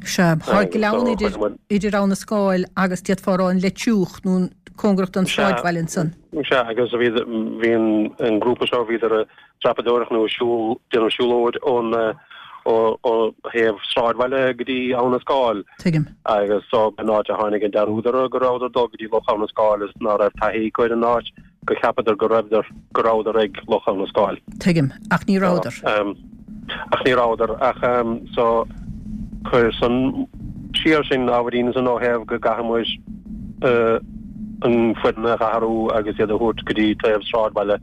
Sea, tá gleann idir, idir Abha na Scáil agus d'fhéadfá a rá an Leitriúch nó cóngarach don sráidbhaile ansan. Sea, agus bhí, bhí an grúpa seo, bhíodar ag dreapadóireacht nó ag siúl, déanamh siúlóid ón, ó thaobh sráidbhaile go dtí Abha na Scáil. Tuigim. Agus so an áit a tháinig an dearúd orthu go rabhadar ag dul go dtí Loch Abha na Scáil is ná raibh taithí acu ar an áit go cheapadar go raibhdar, go rabhadar ag Loch Abha na Scáil. Tuigim. Ach ní rabhadar. Ach ní rabhadar. Ach so chuir san siar sinn ábhairín ansan ó thaobh go gcaithfidh muid an foireann a athrú agus iad a thabhairt go dtí taobh sráidbhaile.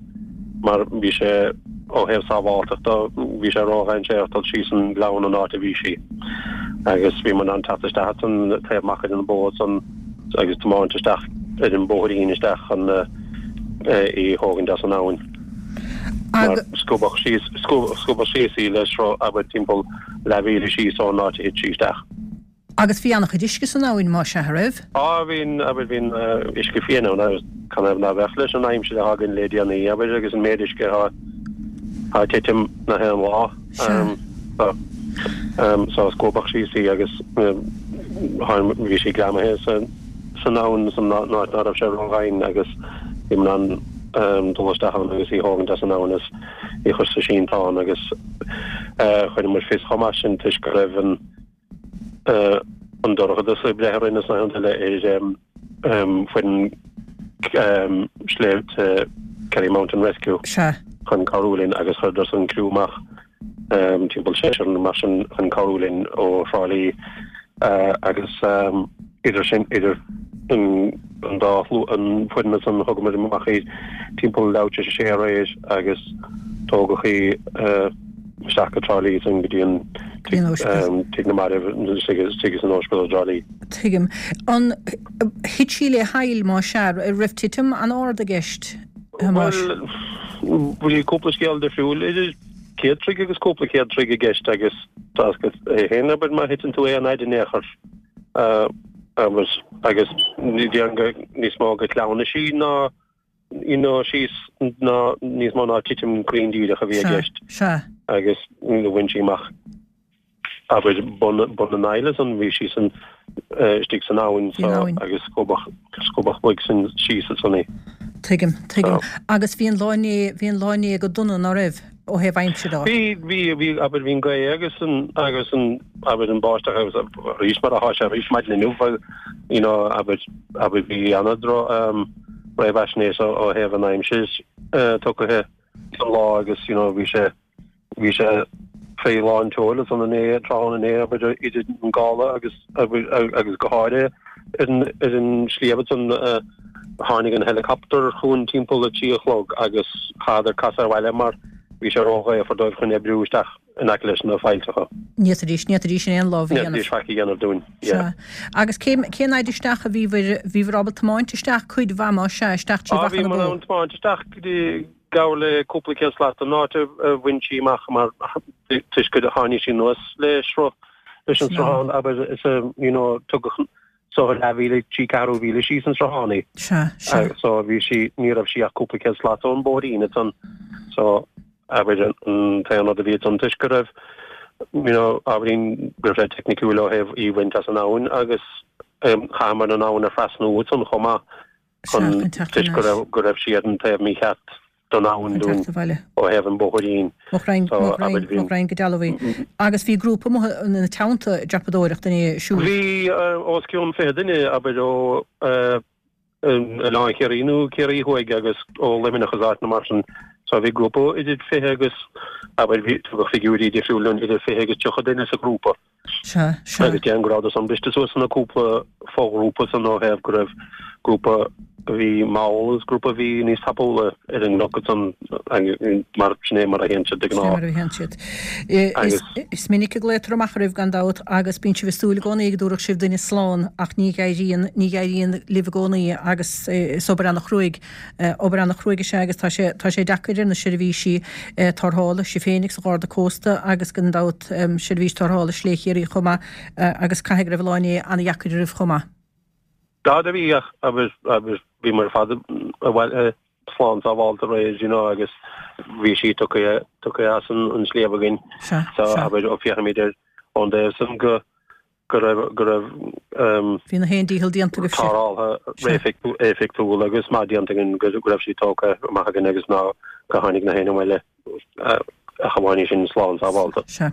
mar bhí sé, ó thaobh sábháltachta, bhí sé ródhainséarach dul síos an gleann an áit a bhí sí. Agus bhí muid in ann teacht isteach ansan taobh Machaire na Bó ansan agus tiomáint isteach ar an bóithrín isteach chun í a thógaint as an abhainn. Mar scuabadh síos, scuabadh síos í le sruth, abair, timpeall leathmhíle síos ón áit a thit sí isteach. Agus bhí an-chuid uisce san abhainn, más ea, a raibh? Á, bhí, abair, bhí an uisce fiáin ann agus canathaobh ná beadh leis an aimsir atá againn le déanaí, abair, agus an méid uisce atá ag titim nach aon lá. Sea. So, scuabadh síos í agus bhí sí greamaithe san abhainn san áit ná raibh sé ródhoimhin agus bhí muid in ann dul isteach ann agus í a thógaint as an abhainn is í a chur sa sínteán agus chuir muid fios chomh maith sin toisc go raibh an an dorchadas ag breith orainn is na haon eile ar foireann sléibhte Kerry Mountain Rescue chun cabhrú linn agus chuireadar san criú amach timpeall seisear nó mar sin chun cabhrú linn ó Thrá Lí agus idir sin idir an dá an foireann san thugamar amach í timpeall leathuair tar éis a sé aréir agus tógadh í isteach go Trá Lí ansin go dtí an Tigh na Marbh istigh san ospidéal i dTrá Lí. Tuigim. An thit sí le haill más ea? Raibh titim an-ard i gceist, a Thomáis? Bhuel, bhí cúpla scéal difriúil idir céad troigh agus cúpla céad troigh i gceist agus tá a fhios agat féin, abair, má thiteann tú aon fhaid in aon chor agus agus déarfainn go níos mó go cleamhnais í ná you know, síos ná níos mó ná titim cruinn díreach a bhí i gceist. Sea. Agus bhain sí amach abair bun bun an aill ansan bhí sí san istigh san abhainn so agus scuabadh scuabadh uaidh sin síos ansan í. Tuigim, tuigim. Agus bhí an lá inné, bhí an lá inné go dona, ná raibh, ó thaobh aimsire de? Bhí, bhí, bhí, abair bhí an gaoth agus an agus an abair an báisteach agus arís mar atá sé arís maidin inniu you know abair abair bhí ana-dhro réamhaisnéis ó thaobh an aimsir tugtha don lá agus you know bhí sé bhí sé fé lán tseoil ansan inné tráthnóna inné abair idir an gála agus agus go háirithe ar an ar an sliabh ansan tháinig an helicopter chugainn timpeall a trí a chlog agus chaitheadar casadh abhaile mar bhí sé róghaofar dóibh chun oibriú isteach. in aice leis na faillteacha. Ní fhéadfaidís, ní fhéadfaidís aon lámh a dhéanamh. Ní fhéadfaidís faic a dhéanamh dúinn, yeah. Sea. Agus cén, cén fhaid isteach a bhíobhair, bhíobhair ábalta tiomáint isteach cuid mhaith más ea, isteach trí Á, Mhachaire na bhíomar Bó? in ann tiomáint isteach go dtí, gar le cúpla céad slat don áit a bhain sí amach mar toisc gur tháinig sí anuas le sruth, leis an sruthán, abair, is a, you know, tugadh so leathmhíle, trí ceathrú mhíle síos an sruthán í. Sea, sea. So bhí sí, ní raibh sí ach cúpla céad slat ón bóithrín ansan. So abair an t-aon rud a bhí ansan toisc go raibh, you know, ábhairín go raibh sé teicniciúil ó thaobh í bhaint as an abhainn agus chaitheamar an abhainn a thrasnú ansan chomh maith chun toisc go raibh, go raibh sí ar an taobh mícheart don abhainn dúinn ó thaobh an bhóithrín. Mo ghraidhin, mo ghraidhin, mo ghraidhin go dealbh í. Agus bhí grúpa amuigh ina teannta ag dreapadóireacht inné siúd. Bhí os cionn 20 duine, abair, ó Oileán Chiarraí nó Ciarraí Thuaidh agus ó Luimneach agus áiteanna mar sin. So bhí grúpa idir 20 agus, abair, bhí, tugadh figiúirí difriúla dúinn, idir 20 agus 30 duine sa ghrúpa. Sea, sea. Agus déarfainn go rabhadar san briste suas ina cúpla foghrúpa san ó thaobh go raibh grúpa a bhí mall agus grúpa a bhí níos tapúla ar an gcnoc ansan mar sin é mar a théann siad de Sin é ghnáth. mar a théann siad. Is, Agus. is minic a glaotar amach oraibh gan dabht agus bíonn sibh ag súil i gcónaí go dtabharfadh sibh duine slán ach ní éiríonn, ní éiríonn libh i gcónaí agus is obair ana-chruaidh Obair an-chruaidh is ea agus tá sé, tá sé deacair ar na seirbhísí tarrthála, sibh féin agus an Gharda Cósta agus gan dabht seirbhís tarrthála Slé Chiarraí chomh maith agus caithfidh go raibh an lá inné an-dheacair oraibh chomh maith. Tá do bhí ach agus agus bhíomar ar fad abhaile slán sábhálta aréir you know agus bhí sí tugtha tugtha as an an sliabh againn Sea, so sea. abair ó féachaimid air ón dtaobh san go go raibh, go raibh Bhí na haon dícheall déanta agaibhse. tarrtháil éifeachtúil agus maith déanta againn go raibh sí tógtha amach againn agus ná go tháinig na héinne abhaile ach amháin í sin slán sábhálta. Sea.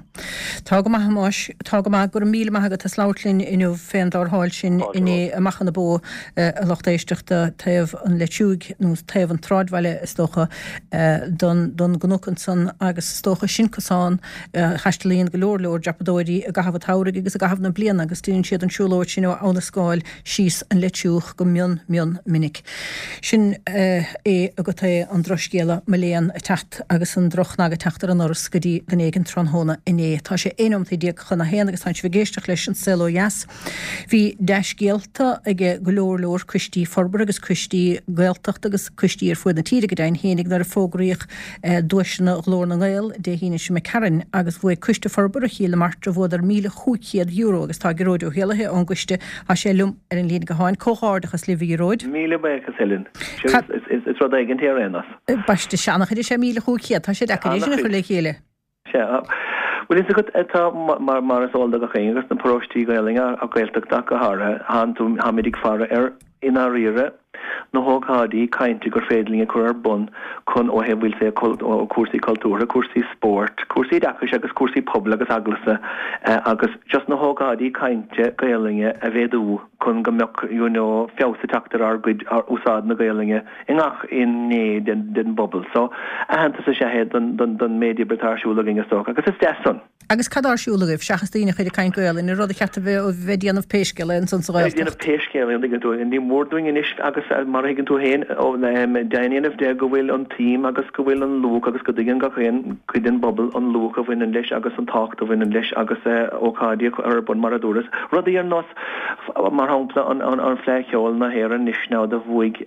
Tá go maith, a Thomáis. Tá go maith. Go raibh míle maith agat as labhairt linn inniu fén dtarrtháil sin inné i Machaire na Bó, a lucht éisteachta, taobh an Leitriúigh, nó taobh an tsráidbhaile is dócha, don, don gcnoc ansan agus is dócha sin cosán Taistealaíonn go leor leor dreapadóirí i gcaitheamh an tsamhraidh agus i gcaitheamh na bliana agus déanann siad an siúlóid sin ó Abha na Scáil síos an Leitriúch go mion mion minic. Sin é agat é an drochscéala, mo léan, ag teacht agus an droch-chnag ag teacht ar an ndoras go dtí duine éigin tráthnóna inné. Tá sé 11 nóimeataí chun a haon agus tánn sibh ag éisteacht leis An Saol Ó Dheas. Bhí dea-scéalta ag go leor leor coistí forbartha agus coistí Gaeltachta agus coistí ar fuaid na tíre go deimhin fhéinig nuair a fógraíodh duaiseanna Ghlór na nGael Dé hAoine seo imigh tharainn agus bhuaigh Coiste Forbartha Chill na Martra bhuadar €1,500 agus tá Gearóid Ó hÉallaithe ón gcoiste, tá sé liom ar an líne gutháin. Comhghairdeachas libh a Ghearóid. Míle buíochas Helen. Is rud éigin é ar aon nós. Baiste, sea, an-chuid is ea 1,500, tá sé deacair é sin a chur le chéile. Sea. Bhuel, fhios agat, tá, mar, mar is eol do gach éinne, agus na paróistí Gaelainne, ach Gaeltachta ach go háirithe, thánn tú, táimid ag faire ar, i ndáiríre, na hócáidí cainte gur féidir linn a chur ar bun chun, ó thaobh, we'll say, cúrsaí cultúrtha, cúrsaí spóirt, cúrsaí oideachais agus cúrsaí pobail agus eaglasta agus just na hócáidí cainte Gaelainne a mhéadú chun go mbeadh, you know, feabhas ag teacht ar ár gcuid, ár úsáid na Gaelainne. i ngach aon ghné den bpobal. So, aitheantas is ea é don méid oibre atá ar siúl againn, is dócha, agus is deas san. Agus cad tá ar siúl agaibh, seachas daoine a chur ag caint Gaolainn, an rud a cheart a bheith ag déanamh pé scéal é ansan sa Ag Ghaeltacht? déanamh pé scéal é, an dtuigeann tú. Ní mór dúinn anois, agus mar a thuigeann tú féin, deimhin a dhéanamh de go bhfuil an tsuim agus go bhfuil an luach agus go dtuigeann gach aon chuid den bpobal an luach a bhaineann leis agus an tábhacht a bhaineann leis agus ócáidí a chur ar bun, mar a dúras. Rudaí ar nós Mar shampla, an Fleadh Cheoil na hÉireann anois now do bhuaigh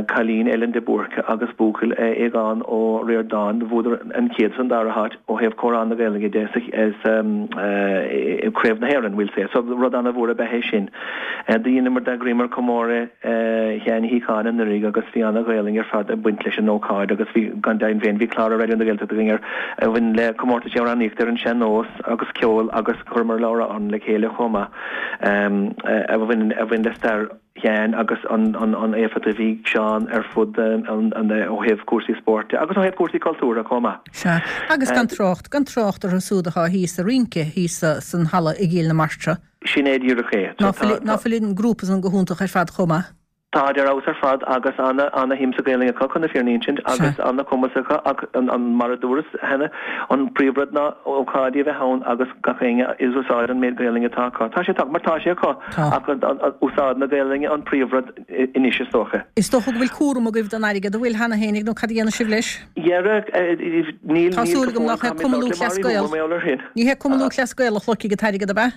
cailín Ellen de Búrca agus buachaill Aogán Ó Ríordáin, bhuadar an chéad is an dara háit ó thaobh Comhrá na Gaeilge de sa Craobh na hÉireann, we'll say. So rud ana-mhór ab ea é sin. Do dheineamar, d'eagraíomar comóradh Sheáin Uí Shíocháin anuraidh agus bhí ana-Ghaelainn ar fad ag baint leis an ócáid agus bhí, gan deimhin féin, bhí clár ar Raidió na Gaeltachta againn ar a bhain le comórtais amhránaíochta ar an sean-nós agus ceol agus Chuireamar leabhrán le chéile chomh maith a bhain le stair Sheáin agus an éifeacht a bhí ag Seán ar fud an ó thaobh cúrsaí spóirt de agus ó thaobh cúrsaí cultúrtha chomh maith. Sea, agus gan trácht, gan trácht orthu súd atá thíos ag rince thíos san halla i gCill na Martra. Sin é díreach é. Ná fuil an grúpa san go hiontach ar fad chomh maith? Táid ar fheabhas ar fad agus ana ana shuim sa Ghaelainn acu chun na fírinne a insint agus ana chumas acu ach an mar a dúras cheana an príomh rud ná ócáidí a bheith ann agus gach éinne ag úsáid an méid Gaelainne atá acu. Tá sé mar tá sé acu ach úsáid na Gaelainne an príomh rud anois is dócha. Is dócha go bhfuil cúram agaibh don airgead, an bhfuil cheana féinig nó cad a dhéanfaidh sibh leis? Dhera, níl Tá níl súil go agam fóill nach é caithfimid Cumann labhairt le Lúthchleas Mary Gael. mar gheall air sin. Ní hé Cumann Lúthchleas Gael a shlogfaidh an t-airgead ab ea?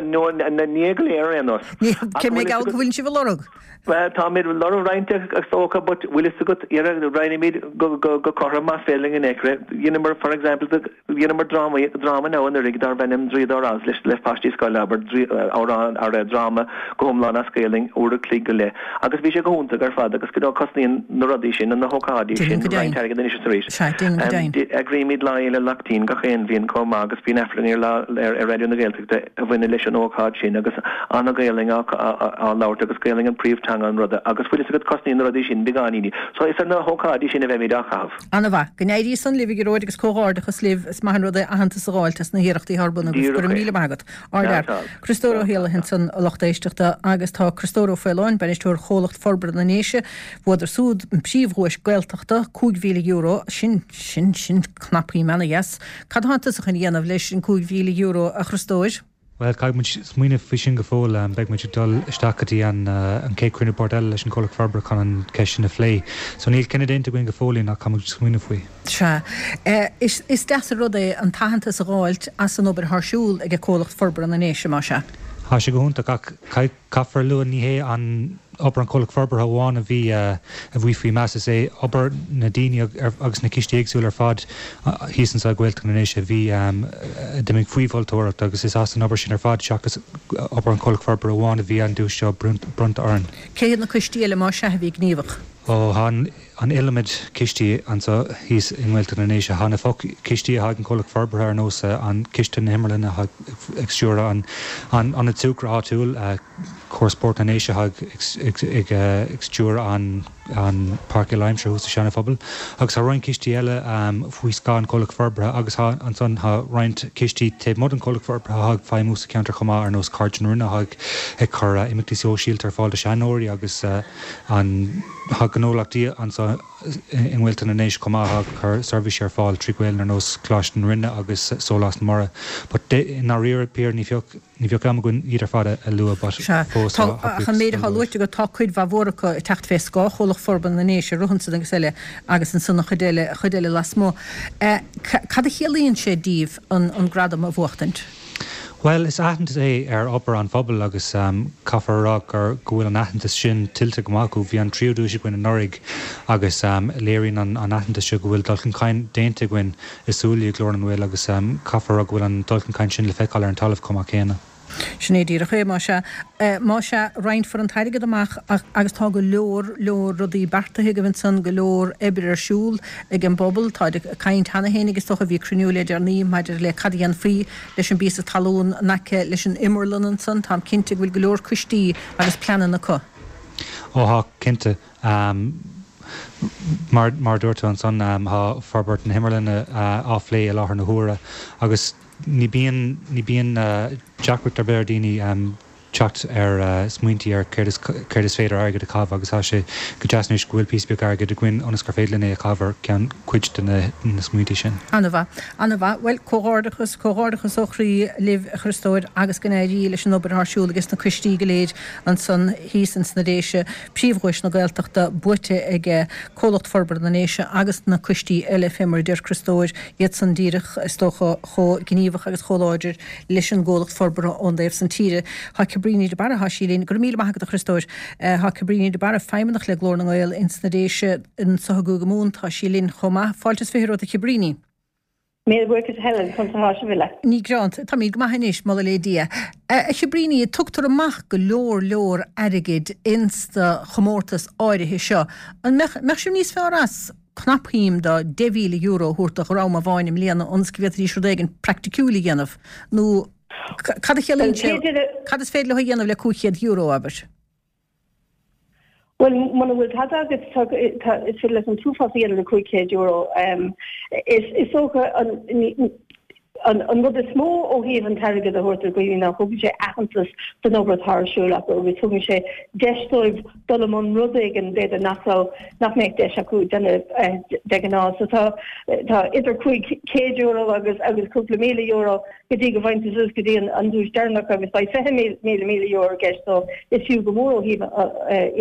No, ní hé go léir ar aon nós. Ní, cé mé geall go bhfuil sibh ag lorg? Bhuel, táimid ag lorg roinnt is dócha, but bhfuil fhios agat, dhera, roinnimid go, go, go cothrom más féidir linn in aon chor. Dheineamar, for example, dheineamar dráma, dráma now anuraidh darbh ainm Draíodóir Oz leis, le paistí scoile, abair, draoi, amhrán, ar, dráma go hiomlán as Gaelainn, uair a chloig go leith. Agus bhí sé go hiontach ar fad agus, you know, cosnaíonn na rudaí sin, na hócáidí Déanaim sin, go roinnt deimhin. airgid anois is arís. Sea, déanaim go deimhin. Eagraímid Lá Fhéile Laichtín gach aon bhliain chomh maith agus bíonn Aifreann ar lá ar Raidió na Gaeltachta a bhaineann leis an ócáid sin agus an-Ghaelainn á labhairt agus Gaelainn an príomh-teanga an ruda agus bhfuil fhios agat cosnaíonn na rudaí sin beagáiníní. So is ar na hócáidí sin a bheimid á chaitheamh. An-mhaith. Go n-éirí san libh a Ghearóid agus comhghairdeachas libh. Is maith an rud é aitheantas a dh'fháilt as na hiarrachtaí atá ar bun agaibh. Go Díreach raibh é. míle maith agat. Ardfhear. Criostóir Ó hÉallaithe ansan a lucht éisteachta agus tá Criostóir Ó Faoláin, Bainisteoir Chomhlacht Forbartha na nDéise, bhuadar súd an príomhdhuais Gaeltachta, €5,000, sin, sin, sin cnapshuim ana-dheas. Cad atánn tusa chun a dhéanamh leis an €5,000, a Chriostóir? Bhuel, caithfidh muid smaoineamh faoi sin go fóill. Beidh muid ag dul isteach go dtí an chéad chruinniú boird eile leis an gcomhlacht forbartha chun an cheist sin a phlé. So níl cinneadh déanta againn go fóillín ach caithfidh muid smaoineamh faoi. Sea. Is deas an rud é an t-aitheantas a dh'fháilt as an obair atá ar siúl ag Comhlacht Forbartha na nDéise, más ea. Tá sé go hiontach ach caithfear a lua ní hé an obair an chomhlacht forbartha amháin a bhí a bhí faoi mheas, is é obair na daoine agus na cistí éagsúla ar fad thíos anseo i Gaeltacht na nDéise a bhí a d'imigh faoi mholtóireacht agus is as an obair sin ar fad seachas obair an chomhlacht forbartha amháin a bhí an duais seo bronnta orainn. Cé hiad na coistí eile más ea a bhí gníomhach? Ó, tá an iliomad cistí anseo thíos i nGaeltacht na nDéise. Tá na fo-chistí atá ag an Chomhlacht Forbartha ar nós an Ciste na hImearlainne atá ag stiúradh an Ionad Súgartha áitiúil, Comhar Spóirt na nDéise atá ag stiúradh an Páirc Uile-Aimsire thuas sa Seana-Phobal agus tá roinnt cistí eile faoi scáth an Chomhlacht Forbartha agus tá ansan tá roinnt cistí taobh amuigh den Chomhlacht Forbartha atá ag feidhmiú sa cheantar chomh maith ar nós Cairde na Rinne atá ag cur imeachtaí sóisialta ar fáil do sheanóirí agus an Tá gnólachtaí anseo i nGaeltacht na nDéise chomh maith atá ag cur seirbhísí ar fáil trí Ghaelainn ar nós Coláiste na Rinne agus Sólás na Mara. But i ndáiríre píre ní bheadh ní bheadh am againn iad ar fad a lua but Sea. fós Tá, tá ach an buíochas méid atá dul dóibh. luaite agat, tá cuid mhaith mhór acu ag teacht fé scáth Chomhlacht Forbartha na nDéise, Ruthenson agus eile, agus ansan an chuid eile, an chuid eile lasmuigh. Cad a chiallaíonn sé daoibh an an gradam a bhuachtaint? Bhuel, is aitheantas é ar obair an phobail agus caithfear a rá gur go bhfuil an aitheantas sin tuillte go maith acu. Bhí an tríú duais againn anuraidh agus léiríonn an aitheantas seo go bhfuil dul chun cinn déanta againn i Súilí ag Glór na nGael agus caithfear a rá go bhfuil an dul chun cinn sin le feiceáil ar an talamh chomh maith céanna. Sin é díreach é, más ea. Más ea, roinnfear an t-airgead amach agus tá go leor, leor rudaí beartaithe agaibh ansan, go leor oibre ar siúl ag an bpobal. Táid ag caint cheana féin agus is dócha bhí cruinniú le deireanaí maidir le cad a dhéanfaí leis an bpíosa talún in aice leis an imearlann ansan. Táim cinnte go bhfuil go leor coistí agus pleananna acu. Ó tá, cinnte. Mar mar a dúirt tú ansan, tá forbairt na himearlainne á phlé i láthair na huaire agus Ní bíonn, ní bíonn deacracht ar bith ar daoine teacht ar smaointí ar céard is, céard is féidir airgead a chaitheamh agus tá sé go deas anois go bhfuil píosa beag airgid againn ionas gur féidir linn é a chaitheamh ar ceann, cuid de na, na smaointí sin. An-mhaith. An-mhaith. Bhuel, comhghairdeachas, comhghairdeachas ó chroí libh, a Chriostóir, agus go n-éirí leis an obair atá ar siúl ages na coistí go léir ansan thíos ins na Déise. Príomhdhuais na Gaeltachta buaite ag Comhlacht Forbartha na nDéise agus na coistí eile, fé mar a deir Criostóir, iadsan díreach, is dócha, chomh gníomhach agus chomh láidir leis an gComhlacht Forbartha ón dtaobh san tíre. Tá Cabríní de Barra, tá sí linn. Go raibh míle maith agat, a Chriostóir. Tá Cabríní de Barra, feidhmeannach le Glór na nGael ins na Déise, anso i gCúige Mumhan. Tá sí linn chomh maith. Fáilte is 20 romhat, a Chabríní. Míle buíochas a Helen, conas atá sibh uile? Ní greanta, táimid go maith anois, moladh le Dia. A Chabríní, tugtar amach go leor leor airgid ins na chomórtais áirithe seo. An mbeadh, mbeadh sibh níos fearr as cnapshuim de €10,000 a thabhairt do dhream amháin i mbliana ionas go bhféadfaidís rud éigin praiticiúil a dhéanamh? Nó cad a chiallaíonn sé, cad is féidir leo a dhéanamh le €500, abair? Bhuel, muna bhfuil tada agat, tá, is féidir leat an t-uafás a dhéanamh le €500. Is, is dócha an, An rud is mó ó thaobh an t-airgead a thabhairt do dhaoine ná thugann sé aitheantas don obair atá ar siúl acu agus tugann sé deis dóibh dul i mbun rud éigin b'fhéidir nach raibh, nach mbeadh deis acu déanamh de ghnáth. So tá, tá idir €500 agus agus cúpla €1,000 go dtí go bhfaigheann tú suas go dtí an duais deireanach agus beidh €20,000 i gceist so is fiú go mór ó thaobh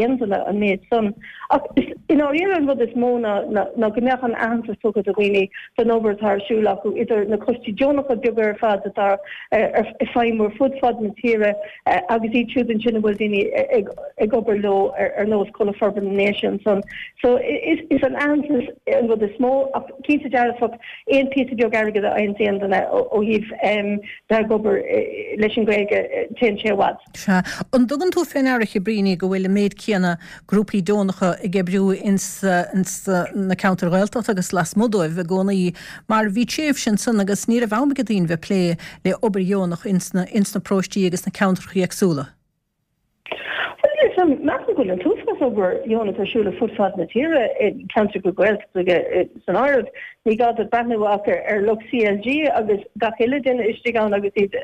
aon duine an méid san. Ach i ndáiríre an rud is mó ná ná go mbeadh an aitheantas tugtha do dhaoine don obair atá ar siúl acu idir na coistí deonacha beaga ar fad atá ag feidhmiú ar fud fad na tíre agus iad siúd ansin a bhfuil daoine ag obair leo ar nós Comhlacht Forbartha na nDéise ansan. So is an aitheantas an rud is mó ach cinnte dearfach aon phíosa beag airgid a fhaigheann aon duine ó thaobh bheith ag obair leis an Ghaeilge, téann sé i bhfad. Sea. An dtugann tú fé ndeara, a Chibríní, go bhfuil an méid céanna grúpaí deonacha ag oibriú ins na ceantair Ghaeltachta agus lasmuigh dóibh i gcónaí mar bhí tréimhse ansan agus ní raibh am ag daoine bheith ag plé le obair dheonach ins na paróistí agus na ceantracha éagsúla? Bhuel, níl 'fhios a'm, measaim go bhfuil an t-uafás obair dheonach ar siúl ar fud fad na tíre, i gceantracha Gaeltachta san áireamh. Ní gá duit breathnú ach ar lucht CLG agus gach uile duine istigh ann agus iad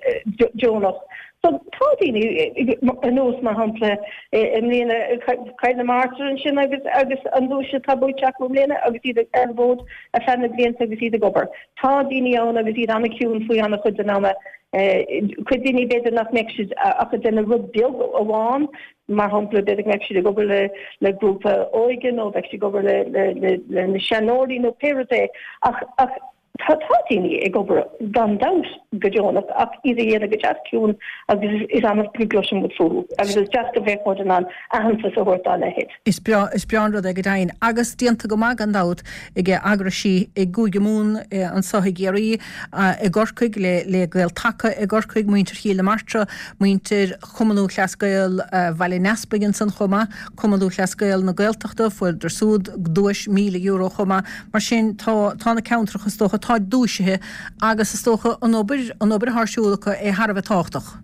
deonach. So tá daoine ar nós, mar shampla, i mbliana Cill na Martra ansin agus agus an duais atá buaite acu i mbliana agus iad ar an bhfód ar feadh na blianta agus iad ag obair. Tá daoine ann agus iad an-chiúin faoi an-chuid den ama. Cuid daoine b'fhéidir nach mbeadh siad ach ag déanamh rud beag amháin, mar shampla b'fhéidir go mbeadh siad ag obair le le grúpa óige nó bheadh siad ag obair le le le na seanóirí nó pé rud é ach ach tá tá daoine ag obair gan dabht go deonach ach iad a dhéanamh go deas ciúin agus is annamh go gcloiseann muid fúthu agus is deas go mbeadh muid in ann aitheantas a thabhairt dá leithéid. Is breá, is breá an rud é go deimhin. Agus déanta go maith gan dabht ag eagraisí i gCúige Mumhan anso i gCiarraí, i gCorcaigh le le Gael Taca i gCorcaigh, muintir Chill na Martra, muintir Chumann Lúthchleas Gael Bhaile an Easpaig ansan chomh maith, Cumann Lúthchleas Gael na Gaeltachta, fuaireadar súd duais €1,000 chomh maith. Mar sin tá, tá na ceantracha is dócha, táid duaisithe agus is dócha an obair, an obair atá ar siúl acu é thar a bheith tábhachtach.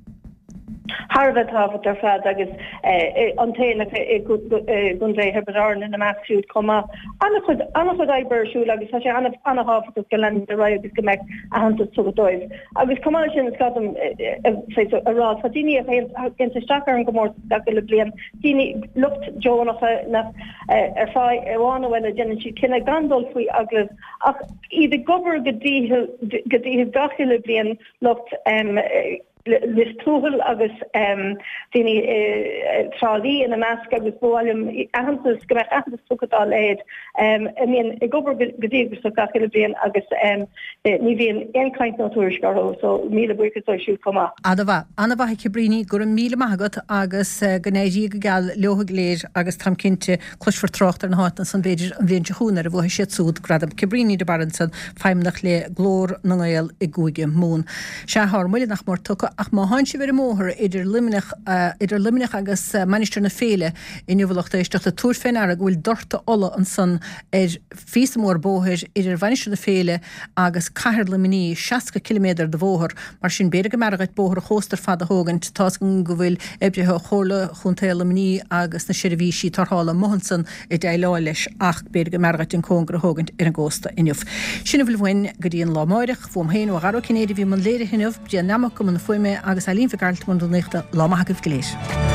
Thar a bheith tábhachtach ar fad agus an tAonach i gContae Thiobraid Árann ina measc siúd chomh maith. An-chuid, an-chuid oibre ar siúl agus tá sé an-thábhachtach go leanfaí ar aghaidh agus go mbeadh aitheantas tugtha dóibh. Agus chomh maith leis sin, is gá dom a rá, tá daoine a théanns isteach ar an gcomórtas gach uile bliain, daoine, lucht deonacha nach, ar fáth amháin nó eile déanann siad cinneadh gan dul faoi agallamh ach iad ag obair go dícheall gach uile bliain, lucht. Lios Tuathail agus daoine i Trá Lí ina measc agus ba mhaith liom aitheantas, go mbeadh aitheantas tugtha dá leithéid, a mbíonn ag obair go díograiseach gach uile bhliain agus ní bhíonn aon chaint nó tuairisc orthu so míle buíochas dóibh siúd chomh maith. Ana-mhaith. Ana-mhaith a Chibríní, go raibh míle maith agat agus go n-éirí go geal leo go léir agus táim cinnte Cloisfear trácht ar na háiteanna san b'fhéidir an bhliain seo chugainn nuair a bhuafaidh siad súd Gradam Cabríní de Barra ansan, feidhmeannach le Glór na nGael i gCúige Mumhan. Sea, thá ár mbuille nach mór tugtha, ach má thánn sibh ar an mbóthar idir Luimneach, idir Luimneach agus Mainistir na Féile inniu a lucht éisteachta, tabhair fé ndeara go bhfuil dortadh ola ansan ar phíosa mór bóthair idir Mhainistir na Féile agus cathair Luimnigh, 60 ciliméadar de bhóthar. Mar sin, b'fhéidir go mb'fhearra dhuit bóthar an chósta ar fad a thógaint. Tá's agam go bhfuil oibrithe ó Chomhairle Chontae Luimnigh agus na seirbhísí tarrthála amuigh ansan ag déileáil leis ach b'fhéidir go mb'fhearra dhuit an cóngar a thógaint ar an gcósta inniu. Sin a bhfuil uainn go dtí an lá amáireach. Uaim féin, ó Dhara Ó Cinnéide a bhí i mbun léirithe inniu, Brian Nammock i mbun na fuaime agus Eileen Mhic Gearailt i mbun rúnaíochta. Lá maith agaibh go léir.